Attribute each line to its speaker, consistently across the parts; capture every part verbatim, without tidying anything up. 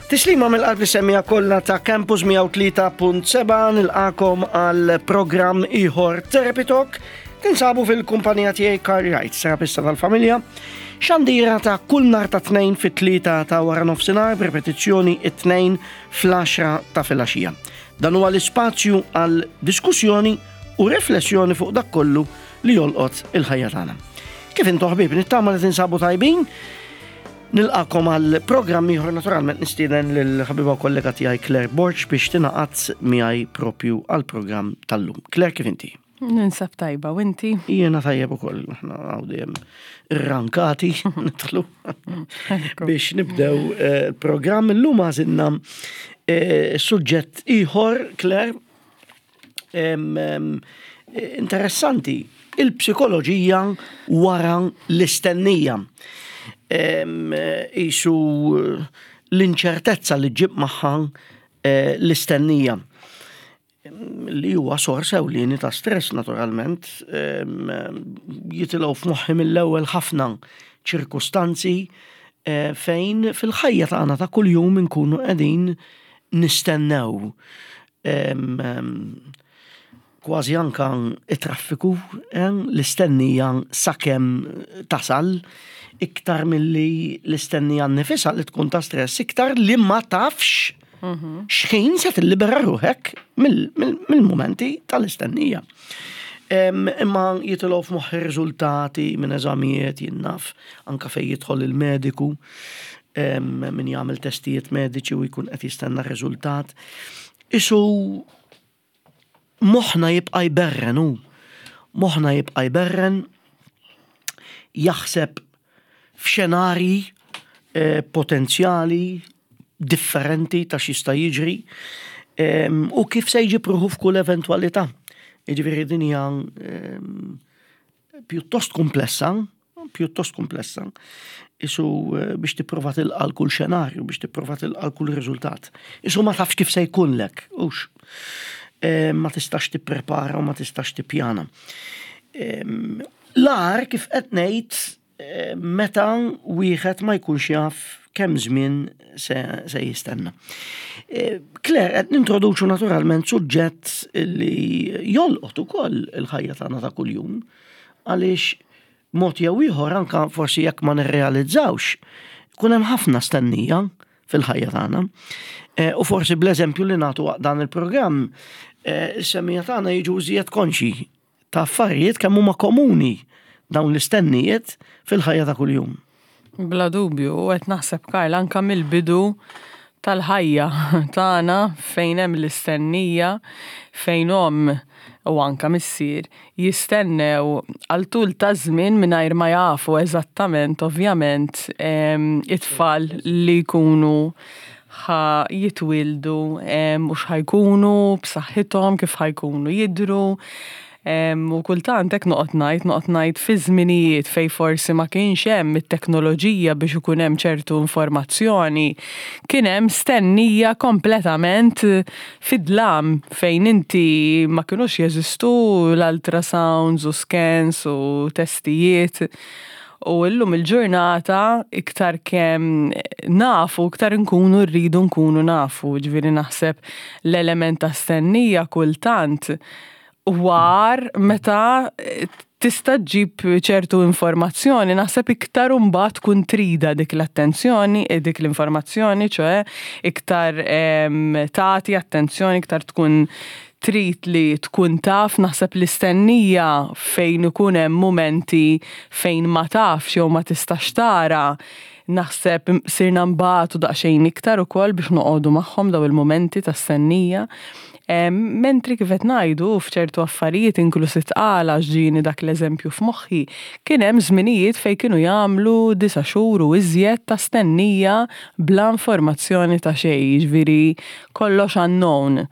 Speaker 1: Tislima mill-qalb lis-semmiegħa kollha ta' Campus mija u tlieta punt sebgħa, nilqagħkom għal programm ieħor Therapy Talk. Tinsabu fil-kumpanija tiegħi Carl Wright, terapista tal-familja. Xandira ta' kull nhar ta' Tnejn fit-tlieta ta' wara nofsinhar, b'repetizzjoni it-Tnejn fl-għaxra ta' filgħaxija. Dan huwa l-ispazju għal diskussjoni u riflessjoni fuq dak kollu li jolqot il-ħajja tagħna. Kif intom, ħbieb? Nittama li tinsabu tajbin. Nilqagħkom għal programm ieħor. Naturalment nistieden lill-ħabiba u kollega tiegħi Claire Borg biex tingħaqad miegħi propju għal programm tal-lum. Claire, kif inti?
Speaker 2: Ninsab tajba, u inti?
Speaker 1: Jiena tajjeb ukoll, aħna hawn dejjem irrankati nidħlu biex nibdew eh, il-programm. Illum għażilna eh, suġġett ieħor, Claire, em, em, interessanti, il-psikoloġija wara l-istennija. Em, Isu l-inċertezza li ġġib magħha eh, l-istennija li huwa sors ewlieni ta' stress naturalment, em, jitilgħu f'moħħi mill-ewwel ħafna ċirkustanzi eh, fejn fil-ħajja tagħna ta' kuljum inkunu qegħdin nistennew. Em, em, Kważi anka it-traffiku, eh, l-istennija sakemm tasal, iktar milli l-istennija nnifisha li tkun ta' stress, iktar li ma tafx xħin se tillibera ruħek mill-momenti tal-istennija. Em, Imma jitilgħu f'moħħi riżultati minn eżamijiet, jien naf, anka fej jidħol il-mediku, em, min jagħmel testijiet mediċi u jkun qed jistenna r-riżultat. Isu moħħna jibqa' jberren hu. Moħħna jibqa' jberren, jaħseb f'xenarji eh, potenzjali differenti ta' x'jista' jiġri em, u kif se jġib ruħu f'kull eventwalità. Jiġifieri din hija em, pjuttost komplessa, pjuttost komplessa. Isu eh, biex tipprova tilqa' kull xenarju, biex tipprova tilqa' kull riżultat. Isu ma tafx kif se jkunlek, hux. Eh, ma tistax tipprepara u ma tistax tippjana. Em, L-agħar, kif qed ngħid, eh, meta wieħed ma jkunx jaf kemm żmien se, se jistenna. Eh, Claire, qed nintroduċu naturalment suġġett li jolqot ukoll il-ħajja tagħna ta' kuljum, għaliex mod jew ieħor, anka forsi jekk ma nirrealizzawx, kun hemm ħafna stennija fil-ħajja tagħna. Eh, U forsi bl-eżempju li nagħtu waqt dan il-programm, eh, is-semmiegħa tagħna jiġu iżjed konxi ta' affarijiet kemm huma komuni dawn l-istennijiet fil-ħajja ta' kuljum.
Speaker 2: Bla dubju, u qed naħseb, Karl, anka mill-bidu tal-ħajja tagħna fejn hemm l-istennija, fejn omm u anka missier jistennew għal tul ta' żmien mingħajr ma jafu eżattament, ovvjament, em, it-tfal li jkunu ħa jitwildu em, u x'ħa jkunu b'saħħithom, kif ħa jkunu jidru. Em, u kultant hekk noqgħod ngħid, noqgħod ngħid fi żminijiet fej forsi ma kienx hemm it-teknoloġija biex ikun hemm ċertu informazzjoni, kien hemm stennija kompletament fid-dlam fejn inti ma kinux jeżistu l-ultrasounds u scans u testijiet. U illum il-ġurnata iktar kemm nafu, iktar nkunu rridu nkunu nafu. Ġifieri naħseb l-element ta' stennija kultant war meta tista' ġġib ċertu informazzjoni, naħseb iktar imbagħad tkun trida dik l-attenzjoni, eh, dik l-informazzjoni, ċoè iktar em, tagħti attenzjoni, iktar tkun trid li tkun taf. Naħseb l-istennija fejn ikun hemm momenti fejn ma tafx jew ma tistax tara, naħseb sirna nbatu daqsxejn iktar ukoll biex noqogħdu magħhom daw il-momenti ta' stennija. Em, Mentri kif qed ngħidu, f'ċertu affarijiet, inkluż it-tqala, ġieni dak l-eżempju f'moħħi, kien hemm żminijiet fejn kienu jagħmlu disa' xhur u iżjed ta' stennija bla informazzjoni ta' xejn, jiġifieri kollox unknown.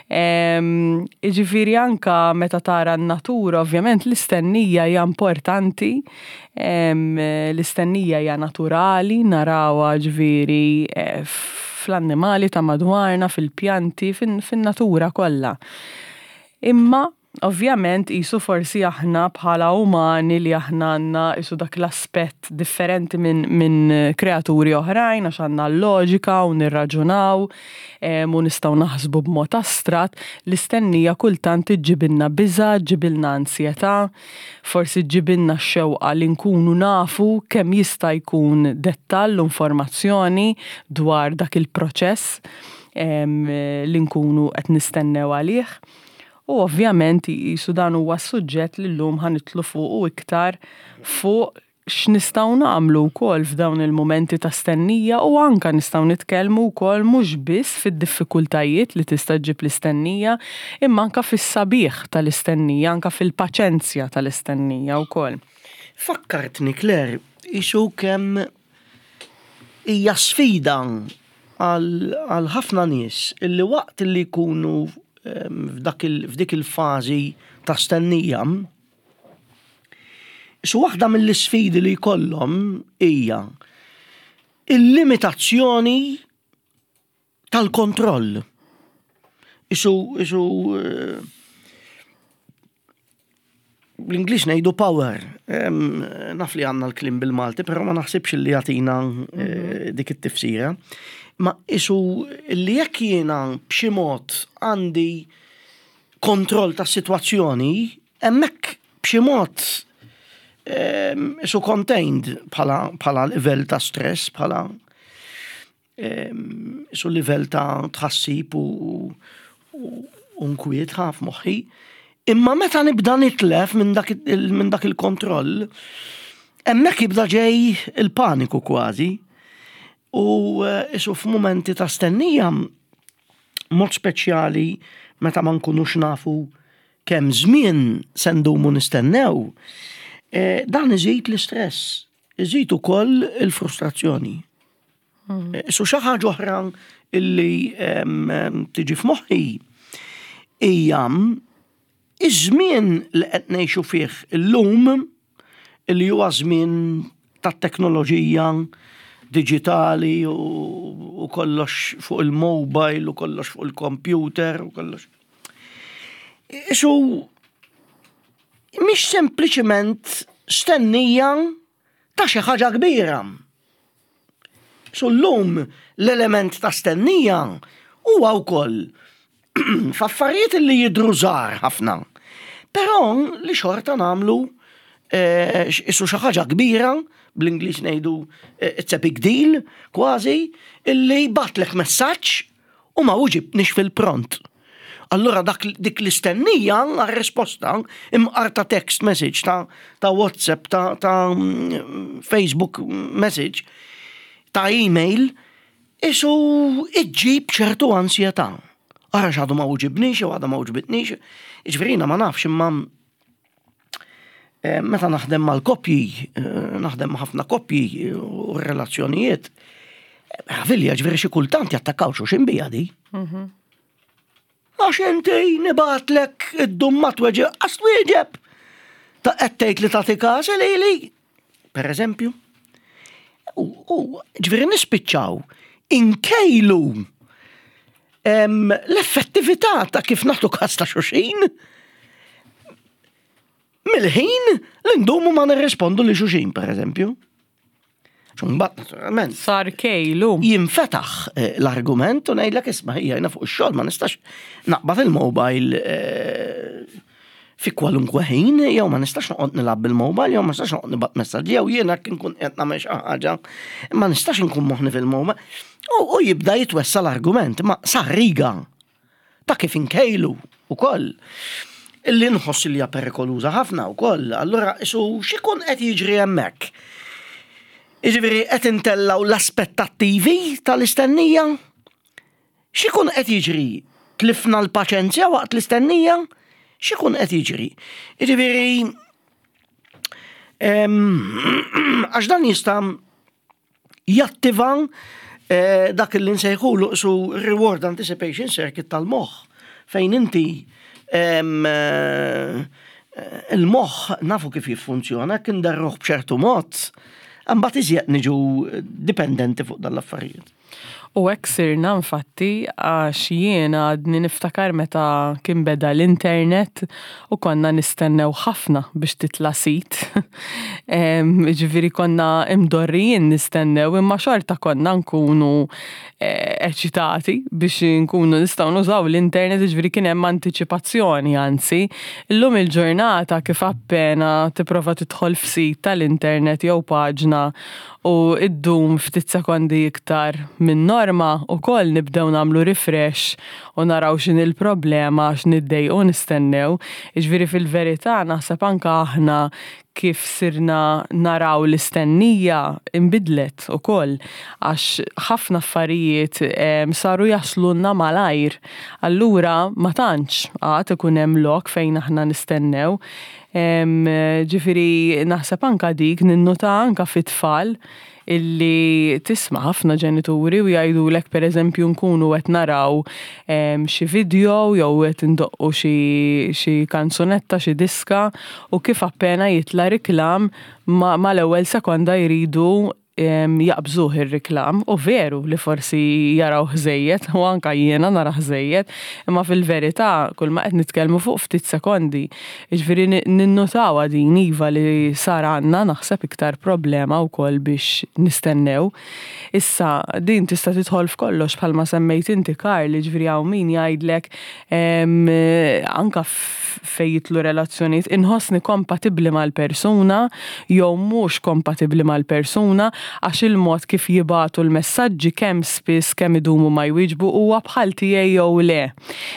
Speaker 2: Em, Jiġifieri anka meta tara n-natura, ovvjament l-istennija hija importanti, em, l-istennija hija naturali, narawha ġifieri eh, fl-annimali ta' madwarna, fil-pjanti, fin- fin-natura kollha. Imma Ovvjament qisu forsi aħna bħala umani li aħna għandna qisu dak l-aspett differenti minn min kreaturi oħrajn, għax għandna l-loġika u nirraġunaw u nistgħu naħsbu b'mod astratt, l-istennija kultant iġġibilna biża', ġġibilna ansjetà, forsi ġġibilna x-xewqa li nkunu nafu kemm jista' jkun dettall u informazzjoni dwar dak il-proċess li nkunu qed nistennew għalih. U ovvjament qisu dan huwa suġġett li llum ħa nidħlu fuq u iktar fuq x'nistgħu nagħmlu wkoll f'dawn il-mumenti ta' stennija, u anka nistgħu nitkellmu wkoll mhux biss fid-diffikultajiet li tista' ġġib l-istennija, imma anka fis-sabiħ tal-istennija, anka fil-paċenzja tal-istennija wkoll.
Speaker 1: Fakkartni, Claire, qisu kemm hija sfida għal ħafna nies illi waqt li jkunu f'dik il-fażi ta' stennija, su waħda mill-isfidi li jkollhom hija il-limitazzjoni tal-kontroll. Isu, isu bl-Ingliż ngħidu power. Naf li għandna l-kliem bil-Malti, però ma naħsibx li jagħtina dik it-tifsira. Ma isu li jekk jiena b'xi mod għandi kontroll tas-sitwazzjoni, hemmhekk b'xi mod isu contained bħala livell ta' stress, bħala isu livell ta' tħassib u nkwiet ħaf moħħi. Imma meta nibda nitlef minn dak il-kontroll, hemmhekk jibda ġej il-paniku kważi. U isu f'mumenti ta' stennija, mod speċjali meta ma nkunux nafu kemm żmien se ndumu nistennew, dan iżid l-istress, iżid ukoll il-frustrazzjoni. Isu xi ħaġa oħra illi tiġi f'moħħi hija iż-żmien li qed ngħixu fih illum, illi huwa żmien tat-teknoloġija diġitali u kollox fuq il-mobile u kollox fuq il-computer u kollox. Isu mhix sempliċement stennija ta' xi ħaġa kbira. Su llum l-element ta' stennija huwa wkoll f'affarijiet li jidhru żgħar ħafna. Però li xorta nagħmlu isu xi ħaġa kbira, bl-Ingliż ngħidu it's a big deal, kważi, illi batlek messaġġ u ma uġibnix fil-pront. Allura dak dik l-istennija għar-risposta imqar ta' text message, ta', ta' WhatsApp, ta', ta' Facebook message, ta' email, isu iġġib ċertu ansjetà. Ara x'għadu ma uġibnix, jew għadu ma uġibitnix, jiġifieri ma nafx, imma meta naħdem mal-koppji, naħdem ma' ħafna koppji u relazzjonijiet, ħavilja ġifieri xi kultant jattakkaw xulxin bija di. Għax inti nibgħatlek id-dum ma tweġeb, għax twieġeb. Ta' qed tgħid li tagħti każ lili, per eżempju. U ġifieri nispiċċaw inkejlu l-effettività ta' kif nagħtu każ ta' xulxin mill-ħin li ndumu ma nirrispondu li xulxin, per eżempju. Mbagħad naturalment.
Speaker 2: Sar kejlu.
Speaker 1: Jinfetaħ l-argument u ngħidlek isma' hija jiena fuq ix-xogħol ma nistax naqbad il-mobile fi kwalunkwe ħin, jew ma nistax noqgħod nilgħab bil-mobile, jew ma nistax noqgħod nibgħat messaġġi, jew jiena kien nkun qed nagħmel xi ħaġa, ma nistax inkun moħħni fil-mobile. U jibda jitwessa l-argument, ma sar riga ta' kif inkejlu ukoll. Illi nħoss li hija perikoluża ħafna wkoll. Allura isu x'ikun qed jiġri hemmhekk? Jiġifieri qed intellaw l-aspettattivi tal-istennija? X'ikun qed jiġri? Tlifna l-paċenzja waqt l-istennija? X'ikun qed jiġri? Jiġifieri għax dan jista' jattiva dak li nsejħulu su reward anticipation circuit tal-moħħ, fejn inti il-moħħ nafu kif jiffunzjona, kien darruh b'ċertu mod, imbagħad iżjed niġu dipendenti fuq dal-affarijiet.
Speaker 2: U hekk sirna infatti, għax jiena għadni niftakar meta kien beda l-internet u konna nistennew ħafna biex titla sit. Ġifieri konna imdorrijin nistennew, imma xorta konna nkunu eh, eċitati biex nkunu nistgħu nużaw l-internet, ġifieri kien hemm antiċipazzjoni anzi. Illum il-ġurnata, kif appena tipprova tidħol f'sit tal-internet jew paġna u iddum ftit sekondi iktar minn norma, u koll nibdew nagħmlu refresh u naraw x'inhi l-problema għax niddejqu nistennew. Ġifieri fil-verità naħseb anka aħna kif sirna naraw l-istennija imbidlet u koll, għax ħafna affarijiet saru jaslunna malajr. Allura ma tantx għad ikun hemm lok fejn aħna nistennew. Ġifieri naħseb anka dik ninnota anka fit-tfal, illi tisma' ħafna ġenituri u jgħidulek, per eżempju, nkunu qed naraw xi video jew qed indoqqu xi kanzunetta, xi diska, u kif appena jitla riklam, ma mal-ewwel sekonda jridu jaqbżuh ir-riklam. U veru li forsi jaraw żejjed, u anka jiena nara żejjed, imma fil-verità kull ma qed nitkellmu fuq ftit sekondi. Jiġifieri ninnotaw din, iva, li sar għandna naħseb iktar problema wkoll biex nistennew. Issa din tista' tidħol f'kollox, bħalma semmejt inti, Karl, ġifieri hawn min jgħidlek, anka fejn jidħlu relazzjonijiet, inħossni kompatibbli mal-persuna jew mhux kompatibbli mal-persuna għax il-mod kif jibagħtu l-messaġġi, kemm spiss, kemm idumu ma jwieġbu, huwa bħal tiegħi jew le.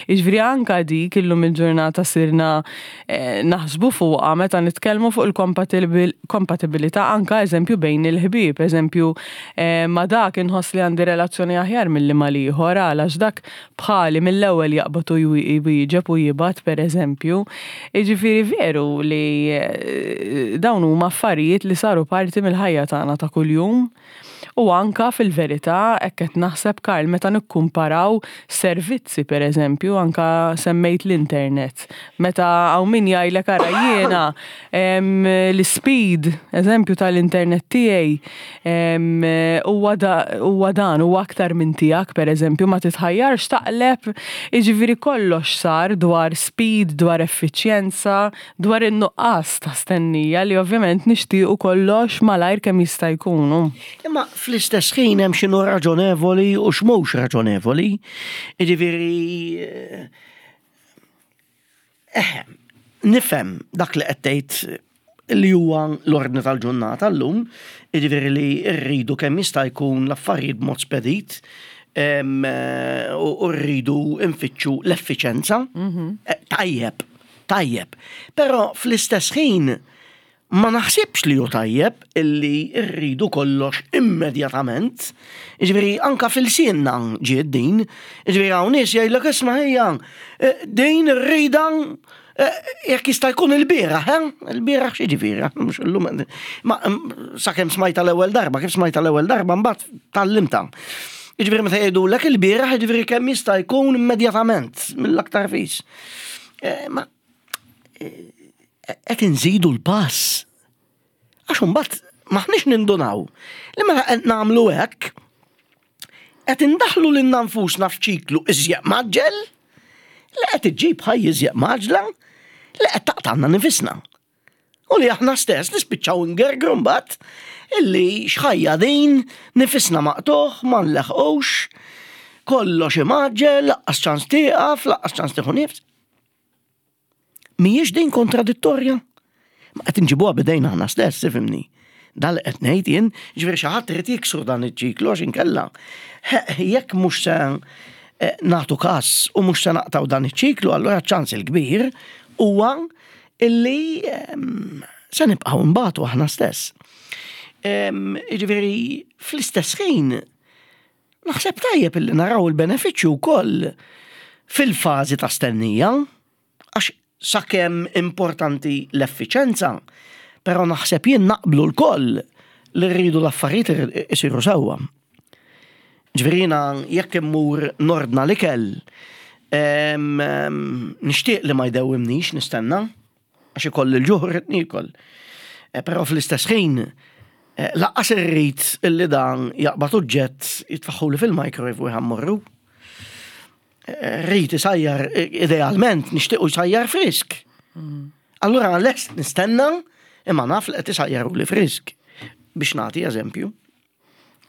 Speaker 2: Jiġifieri anka dik illum il-ġurnata sirna eh, naħsbu fuqha meta nitkellmu fuq il-kompatibilità, anka eżempju bejn il-ħbieb, eżempju eh, ma dak inħoss li għandi relazzjoni aħjar milli mal-ieħor għax dak bħali, mill-ewwel jaqbad u jwieġeb u jibgħat, per eżempju. Jiġifieri veru li eh, dawn huma affarijiet li saru parti mill-ħajja tagħna ta' kuljum. U anka fil-verità hekk qed naħseb, Karl, meta nikkumparaw servizzi, per eżempju, anka semmejt l-internet. Meta hawn min jgħidlek, "Ara, jiena l-speed, eżempju, tal-internet tiegħi huwa dan, huwa aktar minn tiegħek", per eżempju, ma titħajjarx taqleb. Jiġifieri kollox sar dwar speed, dwar effiċjenza, dwar in-nuqqas ta' stennija, li ovvjament nixtiequ kollox malajr kemm jista' jkunu.
Speaker 1: Imma fl-istess ħin hemm x'inhu raġonevoli u x'mhux raġonevoli. Jiġifieri eh, nifhem dak li qed tgħid li huwa l-ordni tal-ġurnata llum, jiġifieri li rridu kemm jista' jkun l-affarijiet b'mod spedit u rridu nfittxu l-effiċenza. Mhm. Eh, tajjeb, tajjeb. Però fl-istess ħin ma naħsibx li hu tajjeb illi rridu kollox immedjatament. Ġifieri anka f'ilsienna ġiet din. Ġifieri hawn nies jgħidlek, "Isma' ħejja, eh, din irrida eh, jekk jista' jkun il-bieraħ, eh? Il-bieraħ xi ġifieri, mhux illum." Ma sakemm smajta l-ewwel darba, kif smajta l-ewwel darba mbagħad tgħallimtha. Ġifieri meta jgħidulek il-bieraħ, ġifieri kemm jista' jkun immedjatament mill-aktar fis. Eh, ma qed inżidu l-pass. Għax imbagħad maħniex nindunaw li meta qed nagħmlu hekk, qed indaħlu lilna nfusna f'ċiklu iżjed mgħaġġel li qed iġġib ħajja iżjed mgħaġġla li qed taqtgħalna nifisna. U li aħna stess nispiċċaw ngergru mbagħad illi x'ħajja din, nifisna maqtugħ, ma nleħqux, kollox imgħaġġel, lanqas ċans tieqaf, lanqas ċans tieħu nifs. Mhijiex din kontradittorja? Ma qed inġibuha b'idejna aħna stess, ifhimni. Dal qed ngħid jien, ġifieri xi ħadd irid jiksru dan iċ-ċiklu, għax inkella jekk mhux se eh, nagħtu każ u mhux se naqtgħu dan iċ-ċiklu, allura ċans il-kbir huwa illi ehm, se nibqgħu nbatu aħna stess. Ehm, ġifieri fl-istess ħin naħseb tajjeb illi naraw il-benefiċċju wkoll fil-fażi ta' stennija, għax sakemm importanti l-effiċenza, però naħseb jien naqblu lkoll li rridu l-affarijiet isiru sewwa. Ġifieri jiena jekk immur nordna l-ikel, nixtieq li ma jdewwimnix nistenna, għax ikolli l-ġuħ, rrid niekol. E, però fl-istess ħin Eh, lanqas irrid illi dan jaqbad oġġett, jitfagħhuli fil-microwave u jħammru. Eh, Rrid isajjar, idealment nixtiequ jsajjar frisk. Allura lest nistenna, imma naf li qed isajjaruli frisk. Biex nagħti eżempju.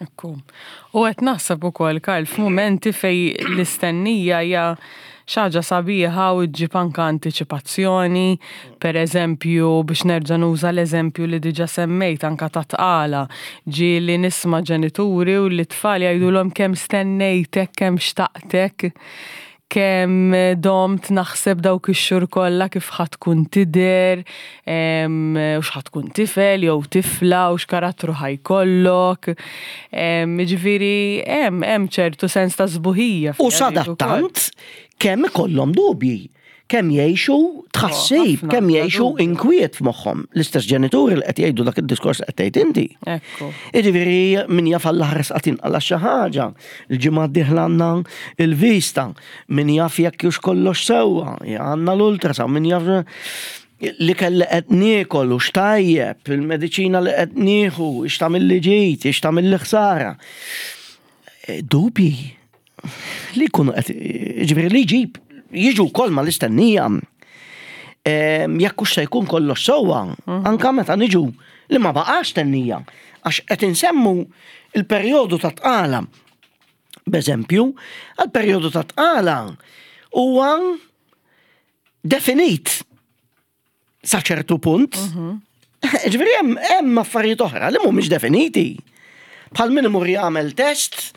Speaker 2: Ekku. U qed naħseb ukoll, Karl, f'mumenti fejn l-istennija hija xi ħaġa sabiħa u ġġib anka antiċipazzjoni, per eżempju, biex nerġa' nuża l-eżempju li diġa semmejt anka ta' tqala, ġieli nisma' ġenituri u li tfal jgħidulhom kemm stennejtek, kemm xtaqtek, kemm domt naħseb dawk ix-xhur kollha kif ħa tkun tidher, u x'ħa tkun tifel jew tifla u x'karattru ħa jkollok. Ġifieri hemm hemm ċertu sens ta' sbuħija.
Speaker 1: U sadattant kemm ikollhom dubji, kemm jgħixu tħassib,
Speaker 2: ħafna,
Speaker 1: kemm
Speaker 2: bla
Speaker 1: jgħixu
Speaker 2: dubju.
Speaker 1: inkwiet f'moħħhom. L-istess ġenituri li qed jgħidu dak id-diskors li qed tgħid inti.
Speaker 2: Ekku.
Speaker 1: Jiġifieri min jaf għall-aħres qatt jinqala xi ħaġa, il-ġimgħa d-dieħla għandna il-vista, min jaf jekk hux kollox sewwa, għandna l-ultrasound, min jaf li kelli qed niekol u x'tajjeb, il-mediċina li qed nieħu, x'tagħmilli ġid, x'tagħmilli ħsara. Eh, Dubji li jkunu qed, ġifieri li jġib, jiġu wkoll mal-istennija. Em, Jekk hux se jkun kollox sewwa, anka meta niġu li ma baqax stennija, għax qed insemmu il-perjodu ta' tqala. B'eżempju, għal-perjodu ta' tqala huwa definit sa ċertu punt. Ġifieri hemm hemm affarijiet oħra li mhumiex definiti. Bħal min imur jagħmel test,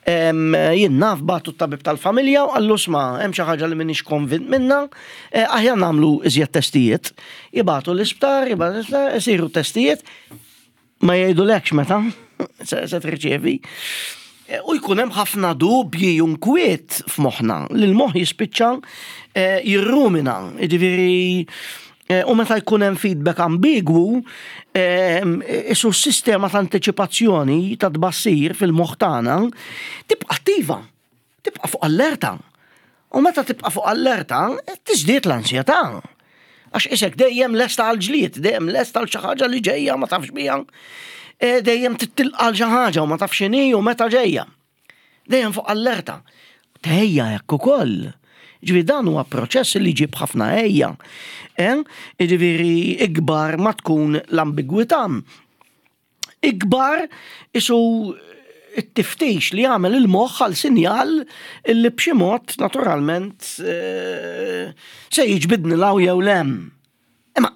Speaker 1: em, jien naf bagħtu t-tabib tal-familja u qallu, "Isma', hemm xi ħaġa li m'iniex konvint minna, eh, aħjar nagħmlu iżjed testijiet." Jibagħtu l-isptar, jibagħtu l-isptar, isiru testijiet, ma jgħidulekx meta se se tirċievi. Eh, U jkun hemm ħafna dubji u nkwiet f'moħħna li l-moħħ jispiċċa eh, jirrumina, jiġifieri eh, u meta jkun hemm feedback ambigwu, eh, isu s-sistema ta' antiċipazzjoni ta' tbassir fil-moħħ tagħna tibqa' attiva, tibqa' fuq allerta. U meta tibqa' fuq allerta, tiżdied l-ansjetà. Għax isek dejjem lesta għal ġlied, dejjem lesta għal xi ħaġa li ġejja ma tafx biha. E, Dejjem titilqa għal xi ħaġa u ma tafx x'inhi u meta ġejja. Dejjem fuq allerta. Tgħejja hekk ukoll. Ġifieri dan huwa proċess li jġib ħafna għejja. Eh? Ġifieri ikbar ma tkun l-ambigwità. Ikbar isu it-tiftix li jagħmel il-moħħ għal sinjal illi b'xi mod naturalment eh, se jiġbidni 'l hawn jew 'l hemm. Imma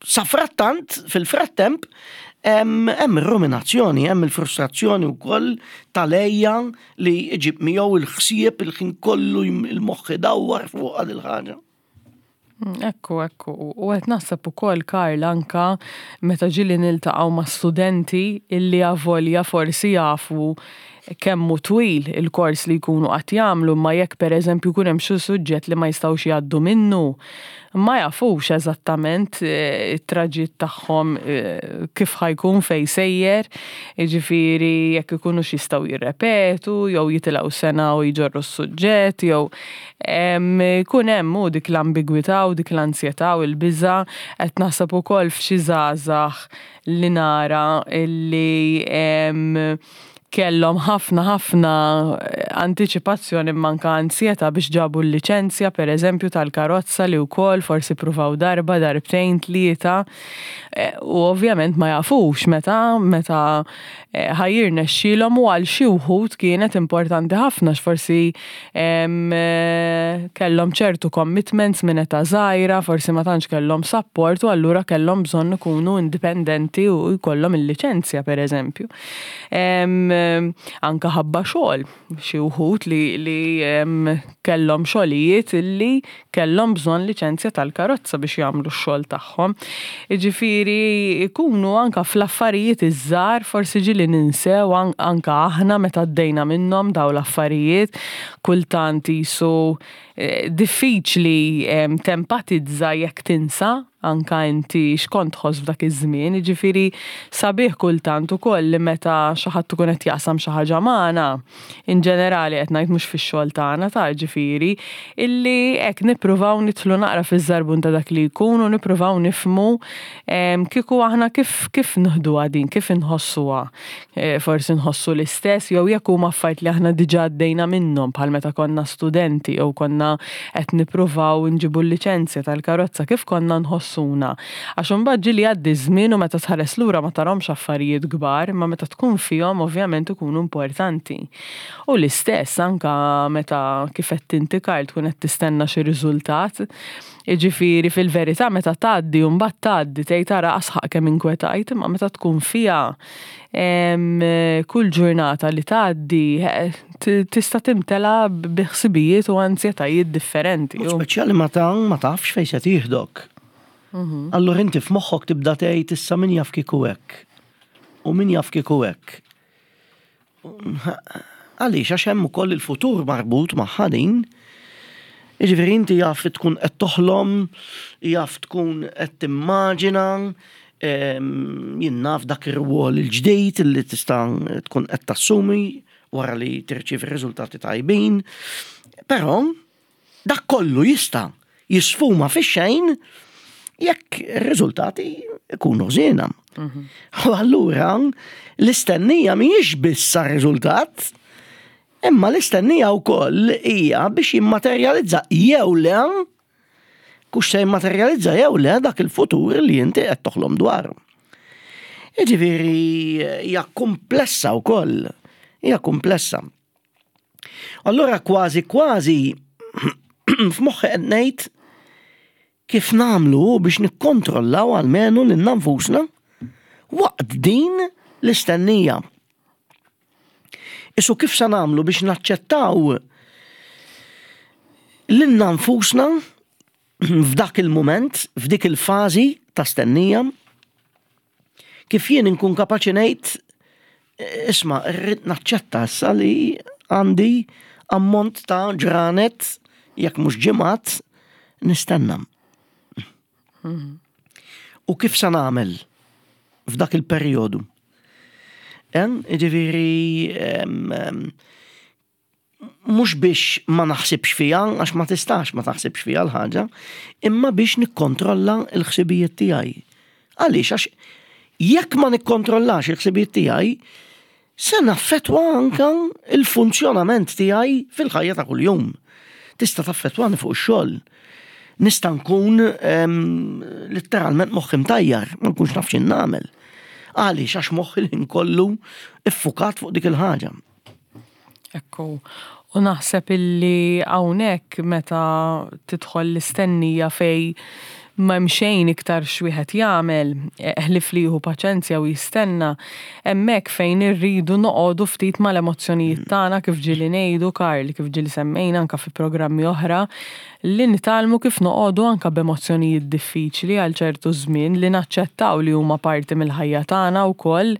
Speaker 1: safrattant, fil-frattemp, hemm hemm ir-ruminazzjoni, hemm il-frustrazzjoni wkoll tal-għejja li jġib miegħu il-ħsieb il-ħin kollu il-moħħ idawwar fuq il ħaġa.
Speaker 2: Mm, Ekku, ekku. U qed naħseb ukoll, Karl, anka meta ġieli niltaqgħu ma' studenti illi avolja forsi jafu kemm hu twil il-kors li jkunu qed jagħmlu, ma jekk pereżempju jkun hemm xi suġġett li ma jistgħux jgħaddu minnu, ma jafux eżattament eh, it-traġitt tagħhom eh, kif ħa jkun, fejn sejjer, jiġifieri jekk ikunux jistgħu jirrepetu jew jitilgħu sena u jġorru s-suġġett jew em, jkun hemm u dik l-ambigwità u dik l-ansjetà u l-biża'. Qed naħseb ukoll f'xi żgħażagħ li nara illi em, kellhom ħafna ħafna antiċipazzjoni manka ansjetà biex ġabu l-liċenzja per eżempju tal-karozza, li wkoll forsi pruvaw darba, darbtejn, tlieta eh, u ovvjament ma jafux meta meta eh, ħa jirnexxilhom, u għal xi wħud kienet importanti ħafna x'forsi em, eh, kellhom ċertu commitments minn età żgħira, forsi ma tantx kellhom support u allura kellhom bżonn ikunu indipendenti u jkollhom il-liċenzja per eżempju. Em, Anka ħabba xogħol, xi wħud li, li em, kellhom xogħlijiet illi kellhom bżonn liċenzja tal-karozza biex jagħmlu x-xogħol tagħhom. Jiġifieri ikunu anka fl-affarijiet iż-żgħar, forsi ġieli ninsew an anka aħna meta għaddejna minnhom daw l-affarijiet, kultant jisu eh, diffiċli em, tempatizza jekk tinsa anka inti x'kont tħoss f'dak iż-żmien, jiġifieri sabiħ kultant ukoll li meta xi ħadd ikun qed jaqsam xi ħaġa magħna, in ġenerali qed ngħid mhux fix-xogħol tagħna ta' ġifieri, illi hekk nippruvaw nidħlu naqra fiż-żarbun ta' dak li jkun u nippruvaw nifhmu em, kieku aħna kif kif nieħduha din, kif inħossuha. Eh, Forsi nħossu l-istess jew jekk huma affarijiet li aħna diġà għaddejna minnhom bħal meta konna studenti jew konna qed nippruvaw nġibu l-liċenzja tal-karozza kif konna nħossuna. Għax imbagħad ġieli jgħaddi żmien u meta tħares lura ma tarahomx affarijiet kbar, imma meta tkun fihom ovvjament ikunu importanti. U l-istess anka meta kif qed inti Karl tkun qed tistenna xi riżultat. Jiġifieri fil-verità meta tgħaddi u mbagħad tgħaddi tgħid tara asħaq kemm inkwetajt, imma meta tkun fiha em, kull ġurnata li tgħaddi eh, t- tista' timtela bi ħsibijiet u ansjetajiet differenti.
Speaker 1: Mod speċjali ma ta' ma tafx fejn se tieħdok. Allura inti f'moħħok tibda tgħid issa min jaf kieku hekk. U min jaf kieku hekk. Għaliex għax hemm ukoll il-futur marbut magħha din. Jiġifieri inti jaf tkun qed toħlom, jaf tkun qed timmaġina, em, jien naf dak ir-rwol il-ġdid li tista' tkun qed tassumi wara li tirċievi riżultati tajbin. Però dak kollu jista' jisfuma fix-xejn jekk ir-riżultati ikunu ħżiena. U allura l-istennija mhijiex biss riżultat, imma l-istennija wkoll hija biex jimmaterjalizza jew le kux se jimmaterjalizza jew le dak il-futur li inti qed toħlom dwaru. Jiġifieri hija komplessa wkoll, hija komplessa. Allura kważi kważi f'moħħi qed ngħid kif nagħmlu biex nikkontrollaw almenu lil nfusna waqt din l-istennija. Isu kif sa nagħmlu biex naċċettaw lilna nfusna f'dak il-moment, f'dik il-fażi ta' stennija, kif jien inkun kapaċi ngħid isma' rrid naċċetta issa li għandi ammont ta' ġranet jekk mhux ġimgħat nistenna. U kif sa nagħmel f'dak il-perjodu? Ġifieri mhux biex ma naħsibx fija, għax ma tistax ma taħsibx fija l-ħaġa, imma biex nikkontrolla l-ħsibijiet tiegħi. Għaliex għax jekk ma nikkontrollax il-ħsibijiet tiegħi, se naffetwa anka il-funzjonament tiegħi fil-ħajja ta' kuljum. Tista' taffetwani fuq ix-xogħol. Nista' nkun letteralment moħħi mtajjar, ma nkunx naf x'in nagħmel. Għaliex għax moħħi l kollu iffukat fuq dik il-ħaġa.
Speaker 2: Ekku, u naħseb illi hawnhekk meta tidħol l-istennija fej ma xejn iktar x'wieħed jagħmel, ħlief li jieħu paċenzja u jistenna, hemmhekk fejn irridu noqogħdu ftit mal-emozzjonijiet tagħna kif ġieli ngħidu Karl, kif ġieli semmejna anka fi programmi oħra, li nitgħallmu kif noqogħdu anka b'emozzjonijiet diffiċli għal ċertu żmien li naċċettaw li huma parti mill-ħajja tagħna wkoll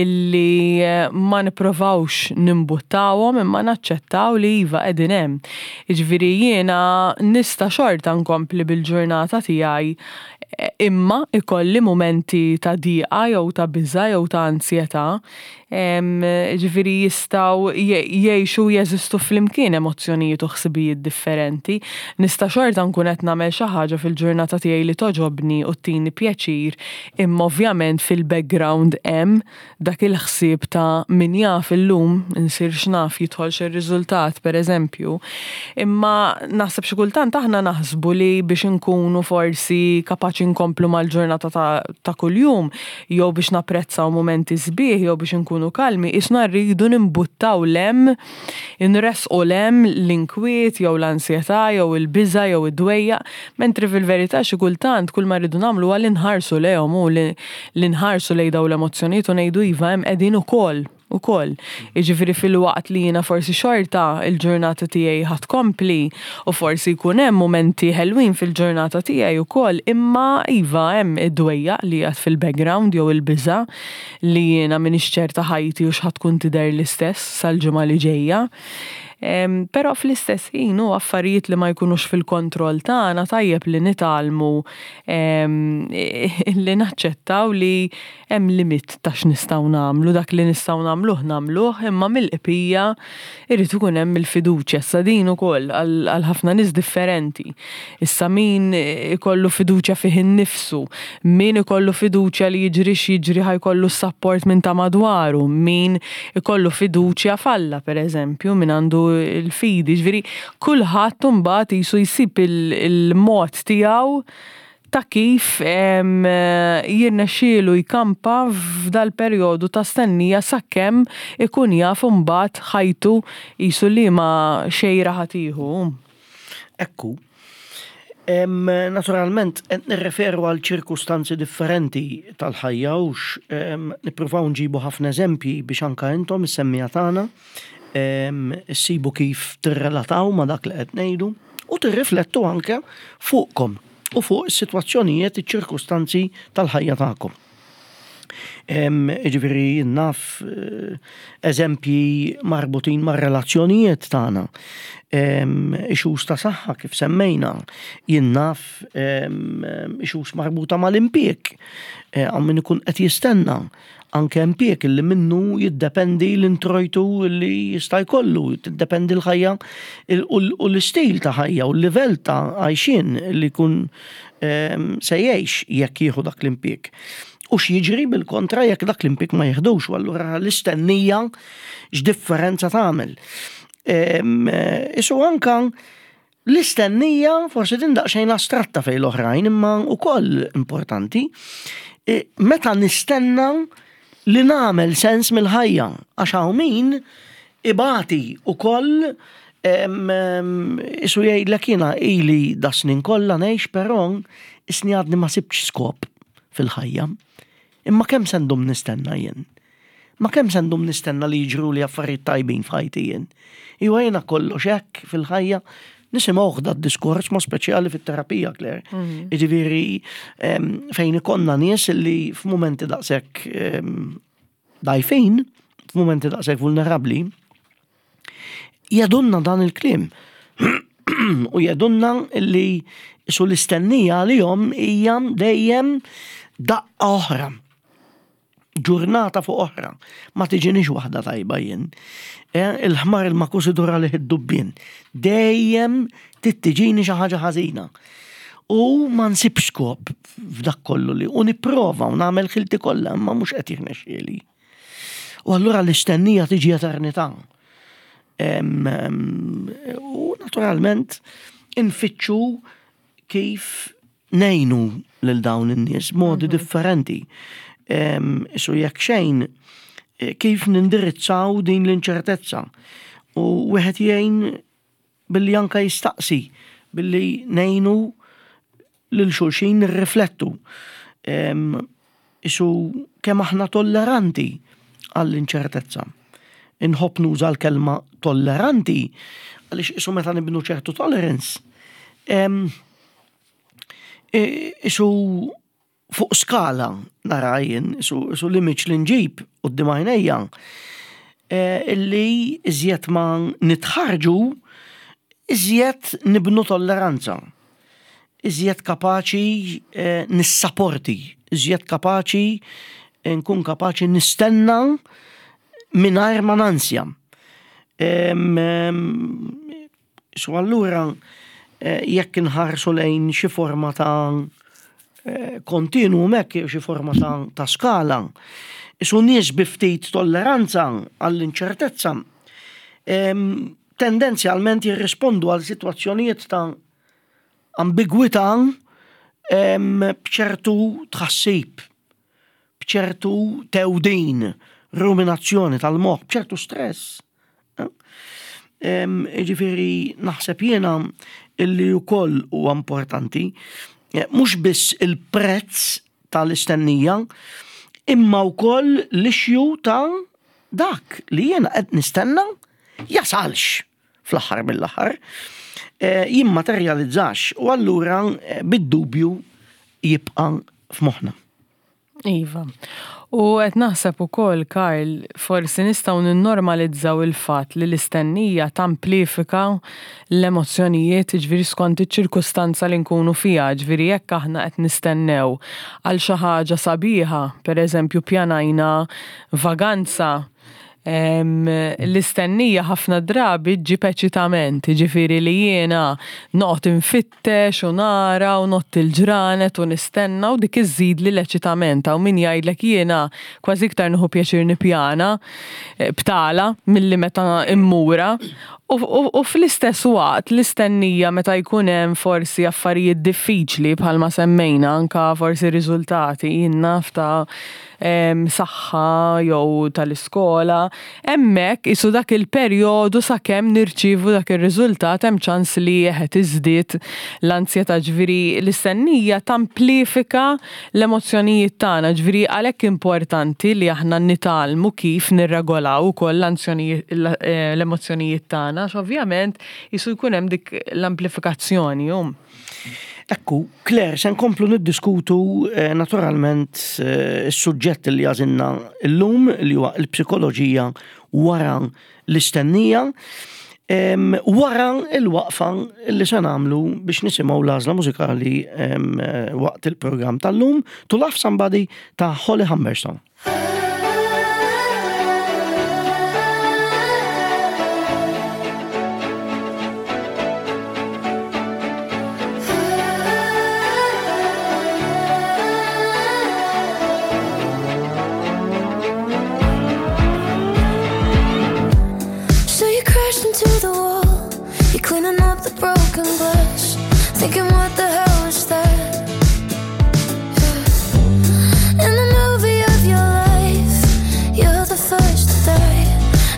Speaker 2: illi ma nipprovawx nimbuttawhom imma naċċettaw li iva qegħdin hemm. Jiġifieri jiena nista' xorta nkompli bil-ġurnata tiegħi imma ikolli mumenti ta' diqa jew ta' biża' jew ta' ansjetà. Ġifieri jistgħu jgħixu jeżistu flimkien emozzjonijiet u ħsibijiet differenti. Nista' xorta nkun qed nagħmel xi ħaġa fil-ġurnata tiegħi li togħġobni u ttini pjaċir, imma ovvjament fil-background hemm dak il-ħsieb ta' min jaf illum insir x'naf jidħol xi riżultat pereżempju. Imma naħseb xi kultant aħna naħsbu li biex inkunu forsi kapaċi nkomplu mal-ġurnata ta', ta' kuljum, jew biex napprezzaw mumenti sbieħ, jew biex inkunu kalmi, isna rridu nimbuttaw lem, inresqu lem l-inkwiet, jew l-ansjetà, jew il-biża, jew id-dwejja, mentri fil-verità xi kultant kull ma rridu nagħmlu huwa li nħarsu lejhom u li nħarsu lejn dawn l-emozzjonijiet u ngħidu iva hemm qegħdin ukoll ukoll. Jiġifieri fil-waqt li jiena forsi xorta il-ġurnata tiegħi ħa tkompli u forsi jkun hemm mumenti ħelwin fil-ġurnata tiegħi ukoll, imma iva hemm id-dwejjaq li qiegħed fil-background jew il-biża' li jiena m'iniex ċerta ħajti u x'ħa tkun tidher l-istess sal-ġimgħa li ġejja. Però fl-istess ħin u affarijiet li ma jkunux fil-kontroll tagħna, tajjeb li nitgħallmu li naċċettaw li hemm limit ta' x'nistgħu nagħmlu, dak li nistgħu nagħmluh nagħmluh, imma mill-bqija irid ikun hemm il-fiduċja. Issa din ukoll għal ħafna nies differenti. Issa min ikollu fiduċja fih innifsu, min ikollu fiduċja li jiġri x'jiġri ħa jkollu s-support minn ta' madwaru, min ikollu fiduċja f'Alla, per eżempju, min għandu l-fidi, ġifieri kulħadd imbagħad jisu jsib il-mod tiegħu ta' kif jirnexxielu jkampa f'dal-perjodu ta' stennija sakemm ikun jaf imbagħad ħajtu jisu liema xejra ħa tieħu.
Speaker 1: Ekku. Naturalment, nirreferu għal ċirkustanzi differenti tal-ħajja ux nippruvaw nġibu ħafna eżempji biex anka intom is-semmiegħa tagħna issibu kif tirrelataw ma' dak li qed ngħidu u tirriflettu anke fuqkom u fuq is-sitwazzjonijiet, iċ-ċirkustanzi tal-ħajja tagħkom. Ġifieri naf eh, eżempji marbutin ma' relazzjonijiet tagħna. Issues ta' saħħa kif semmejna, jien naf issues marbuta mal-impjieg. Eh, hawn min ikun qed jistenna anke impjieg li minnu jiddependi l-introjtu li jista' jkollu, tiddependi l-ħajja u l-istil ta' ħajja u l-livell ta' għajxien li jkun se jgħix jekk jieħu dak l-impjieg. U x'jiġri bil-kontra jekk dak l-impjieg ma jieħdux, u allura l-istennija x'differenza tagħmel. Isu anka l-istennija forsi din daqsxejn astratta fejn l-oħrajn, imma wkoll importanti. E, meta nistenna li nagħmel sens mill-ħajja, għax hawn min ibati ukoll isu jgħidlek, "Jiena ili das-snin kollha ngħix, però isni għadni ma sibtx skop fil-ħajja. Imma kemm se ndum nistenna jien? Ma kemm se ndum nistenna li jiġru li affarijiet tajbin f'ħajti jien? Iwa, jiena kollox hekk fil-ħajja?" Nisimgħu da diskors ma speċjali fit-terapija, Claire. Mhm. Jiġifieri fejn ikollna nies li f'mumenti daqshekk dgħajfin, f'mumenti daqshekk vulnerabbli, jgħidulna dan il-kliem. U jgħidulna li su l-istennija għalihom hija dejjem daqqa oħra. Ġurnata fuq oħra. Ma tiġinix waħda tajba jien. E, il-ħmar il-makus idur għalih id-dubbien. Dejjem tiġini xi ħaġa ħażina. U ma nsibx skop f'dak kollu li u nipprova u nagħmel ħilti kollha, imma mhux qed jirnexxieli. U allura l-istennija tiġi eternità. U naturalment infittxu kif ngħinu lil dawn in-nies modi mhm. differenti. Isu jekk xejn, eh, kif nindirizzaw din l-inċertezza. U wieħed jgħin billi anka jistaqsi, billi ngħinu lil xulxin nirriflettu. Isu kemm aħna tolleranti għall-inċertezza. Inħobb nuża l-kelma tolleranti għaliex isu meta nibnu ċertu tolerance, isu fuq skala nara jien, isu, isu l-image li nġib quddiem għajnejja, e, illi iżjed ma nitħarġu, iżjed nibnu tolleranza. Iżjed kapaċi e, nissaporti, iżjed kapaċi nkun kapaċi nistenna mingħajr ma nansja. Su allura eh, jekk inħarsu lejn xi forma ta' eh, kontinwu hekk, xi forma ta', ta skala, isu nies bi ftit tolleranza għall-inċertezza tendenzjalment jirrispondu għal sitwazzjonijiet ta' ambigwità b'ċertu tħassib, b'ċertu tewdin, ruminazzjoni tal-moħħ, b'ċertu stress. Ġifieri naħseb jiena illi wkoll huwa importanti eh, mhux biss il-prezz tal-istennija, imma wkoll l-issue ta' dak li jiena qed nistenna jasalx fl-aħħar mill-aħħar, eh, jimmaterjalizzax u allura eh, bid-dubju jibqa' f'moħħna.
Speaker 2: Iva. U qed naħseb ukoll, Karl, forsi nistgħu ninnormalizzaw il-fatt li l-istennija tamplifika l-emozzjonijiet, ġifieri skont iċ-ċirkustanza li nkunu fiha, ġifieri jekk aħna qed nistennew għal xi ħaġa sabiħa, pereżempju pjanajna vaganza, l-istennija ħafna drabi ġġib eċitament, ġifieri li jiena noqgħod infittex u nara u ngħodd il-ġranet u nistenna u dik iżżid li l-eċitament. U min jgħidlek jiena kważi iktar nieħu pjaċir nippjana eh, btala milli meta immura. U, u, u fl-istess waqt l-istennija meta jkun hemm forsi affarijiet diffiċli bħalma semmejna anka forsi riżultati jien naf ta' em, saħħa jew tal-iskola, hemmhekk isu dak il-perjodu sakemm nirċievu dak ir-riżultat hemm ċans li qed iżdied l-ansjetà, ġifieri l-istennija tamplifika l-emozzjonijiet tagħna, ġifieri għalhekk importanti li aħna nitgħallmu kif nirregolaw ukoll l-emozzjonijiet tagħna, għax ovvjament jisu jkun hemm dik l-amplifikazzjoni. Um.
Speaker 1: Ekku, Claire, se nkomplu niddiskutu eh, naturalment eh, is-suġġett li għażilna llum li huwa l-psikoloġija wara l-istennija. Em, wara il-waqfa li se nagħmlu biex nisimgħu l-għażla mużikali em, eh, waqt il-programm tal-lum To Love Somebody ta' Holly Humberstone.
Speaker 3: So you crashed into the wall. You're cleaning up the broken glass, thinking what the hell was that? Yeah. In the movie of your life, you're the first to die,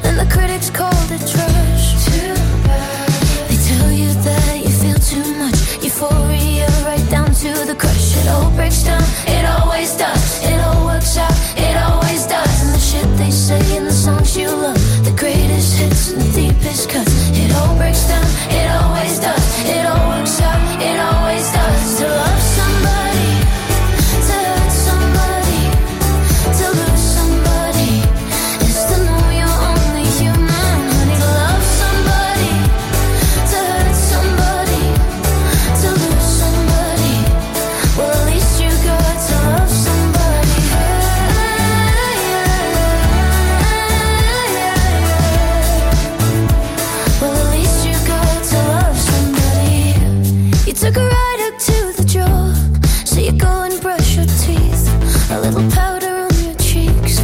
Speaker 3: and the critics called it trash. Too bad. They tell you that you feel too much, euphoria right down to the crush. It all breaks down, it always does. It all works out, it always does. And the shit they say in the songs you love, the greatest hits and the deepest cuts. It all breaks down, it always does. It all works out, it always does. To love somebody, to hurt somebody, to lose somebody, is to know you're only human, honey. To love somebody, to hurt somebody, to lose somebody. Well, at least you got to love somebody. Well, at least you got to love somebody. You took a right hook to the jaw, so you go and brush your teeth. A little powder on your cheeks,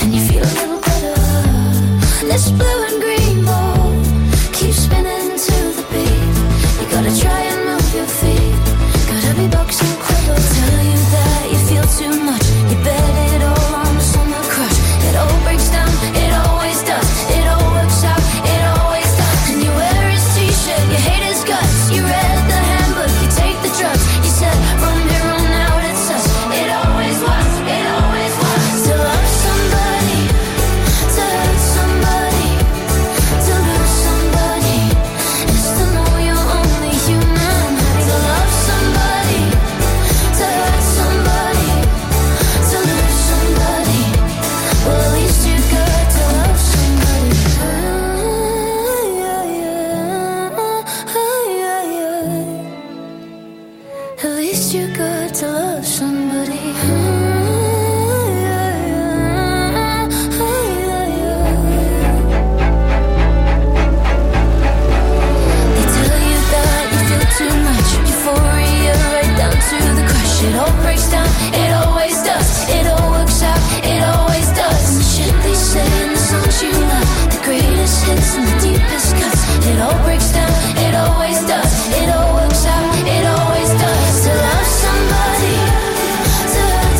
Speaker 3: and you feel a little better. This blue and green ball keeps spinning to the beat. You gotta try and move your feet. Gotta be boxing clever. Tell you that you feel too much. You bet it all on the summer crush. It all breaks down, it always does. It all works out, it always does. And you wear his t-shirt, you hate his guts. You read the handbook, you take the drugs. You said from here on out it's us. It always was, it always was. To love somebody, to hurt somebody, to lose somebody, is to know you're only human. To love somebody, to hurt somebody, to lose somebody. Well, at least you got to love somebody. Yeah, yeah, yeah, yeah. At least you got to love somebody. Yeah, yeah, yeah, yeah. They tell you that you feel too much, euphoria right down to the crush. It all breaks down, it always does. It all works out, it always does. And the shit they say in the songs you love, the greatest hits and the deepest cuts. It all breaks down, it always does. It all works out, it always does. To love somebody, to hurt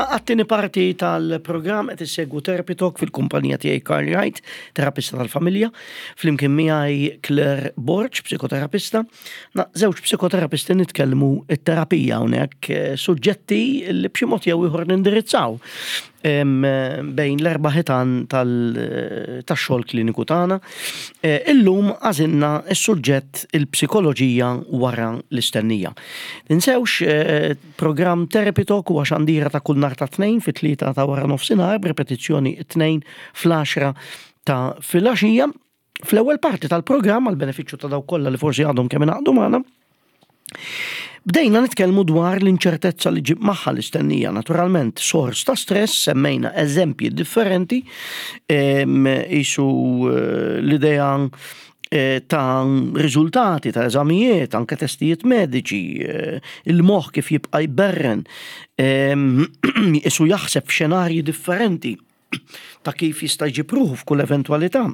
Speaker 1: għat-tieni parti tal-programm. Qed issegwu Therapy Talk fil-kumpanija tiegħi Karl Wright, terapista tal-familja, flimkien miegħi Claire Borg, psikoterapista. Na, żewġ psikoterapisti nitkellmu it-terapija hawnhekk, eh, suġġetti li b'xi mod jew ieħor nindirizzaw em, bejn l-erba' ħitan tal-xogħol kliniku tagħna. Eh, Illum għażilna s-suġġett il-psikoloġija wara l-istennija. Tinsewx, eh, programm Therapy Talk huwa xandira ta' kull nhar ta' Tnejn fit-tlieta ta' wara nofsinhar, b'repetizzjoni it-Tnejn fl-għaxra ta' filgħaxija. Fl-ewwel parti tal-programm, għal benefiċċju ta' dawk kollha li forsi għadhom kemm ingħaqdu magħna, bdejna nitkellmu dwar l-inċertezza li ġib magħha l-istennija, naturalment sors ta' stress, semmejna eżempji differenti, em, isu eh, l-idea eh, ta' riżultati ta' eżamijiet, anke testijiet mediċi, eh, il-moħħ kif jibqa' jberren, em, isu jaħseb f'xenarji differenti ta' kif jista' jġib ruħu f'kull eventwalità.